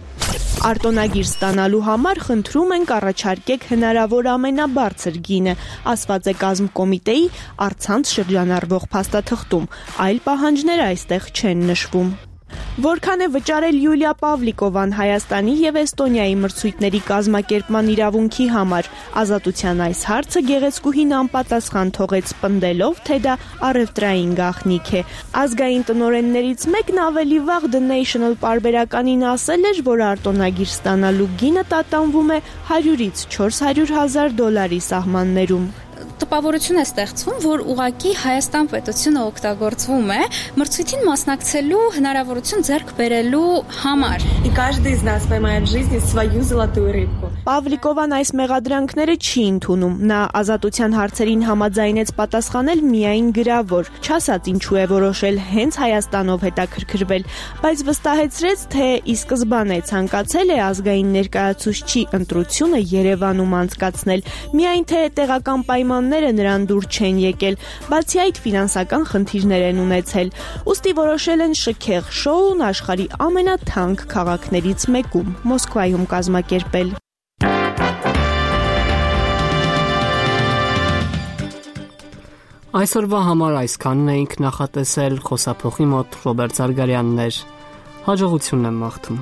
Արտոնագիր ստանալու համար խնդրում ենք առաջարկեք հնարավոր ամենաբարձր գինը, ասված է կազմկոմիտեի առցանց շրջանառվող փաստաթղթում, այլ պահանջներ այստեղ չեն նշվում։ Որքան է վճարել Յուլիա Պավլիկովան Հայաստանի եւ Էստոնիայի մրցույթների կազմակերպման իրավունքի համար, Ազատության այս հարցը գեղեցկուհին անպատասխան թողեց, պնդելով, թե դա առևտրային գաղտնիք է։ Ազգային տնօրեններից մեկն ավելի վաղ The National պարբերականին ասել էր, որ արտոնագիր ստանալու գինը տատանվում է $100,000-400,000 սահմաններում։ Տպավորություն է ստեղծվում, որ ուղղակի Հայաստան պետությունը օգտագործվում է մրցույթին մասնակցելու հնարավորություն ձեռք բերելու համար։ И каждый из нас поймает в жизни свою золотую рыбку. Պավլիկովան այս մեղադրանքները չի ընդունում։ Նա Ազատության հարցերին համաձայնեց պատասխանել միայն գրավոր, չասաց ինչու է որոշել հենց Հայաստանով հետաքրքրվել, բայց վստահեցրեց, թե ի սկզբանե ցանկացել է ազգային ներկայացուցչի ընտրությունը Երևանում անցկացնել, միայն թե տեղական պայմանները նրան դուր չեն եկել, բացի այդ ֆինանսական խնդիրներ են ունեցել։ Ուստի որոշել են շքեղ շոուն աշխարհի ամենաթանկ քաղաքներից մեկում՝ Մոսկվայում կազմակերպել։ Այսօրվա համար այսքանն էինք նախատեսել, խոսափողի մոտ Ռոբերտ Զարգարյանն էր։ Հաջողություն եմ մաղթում։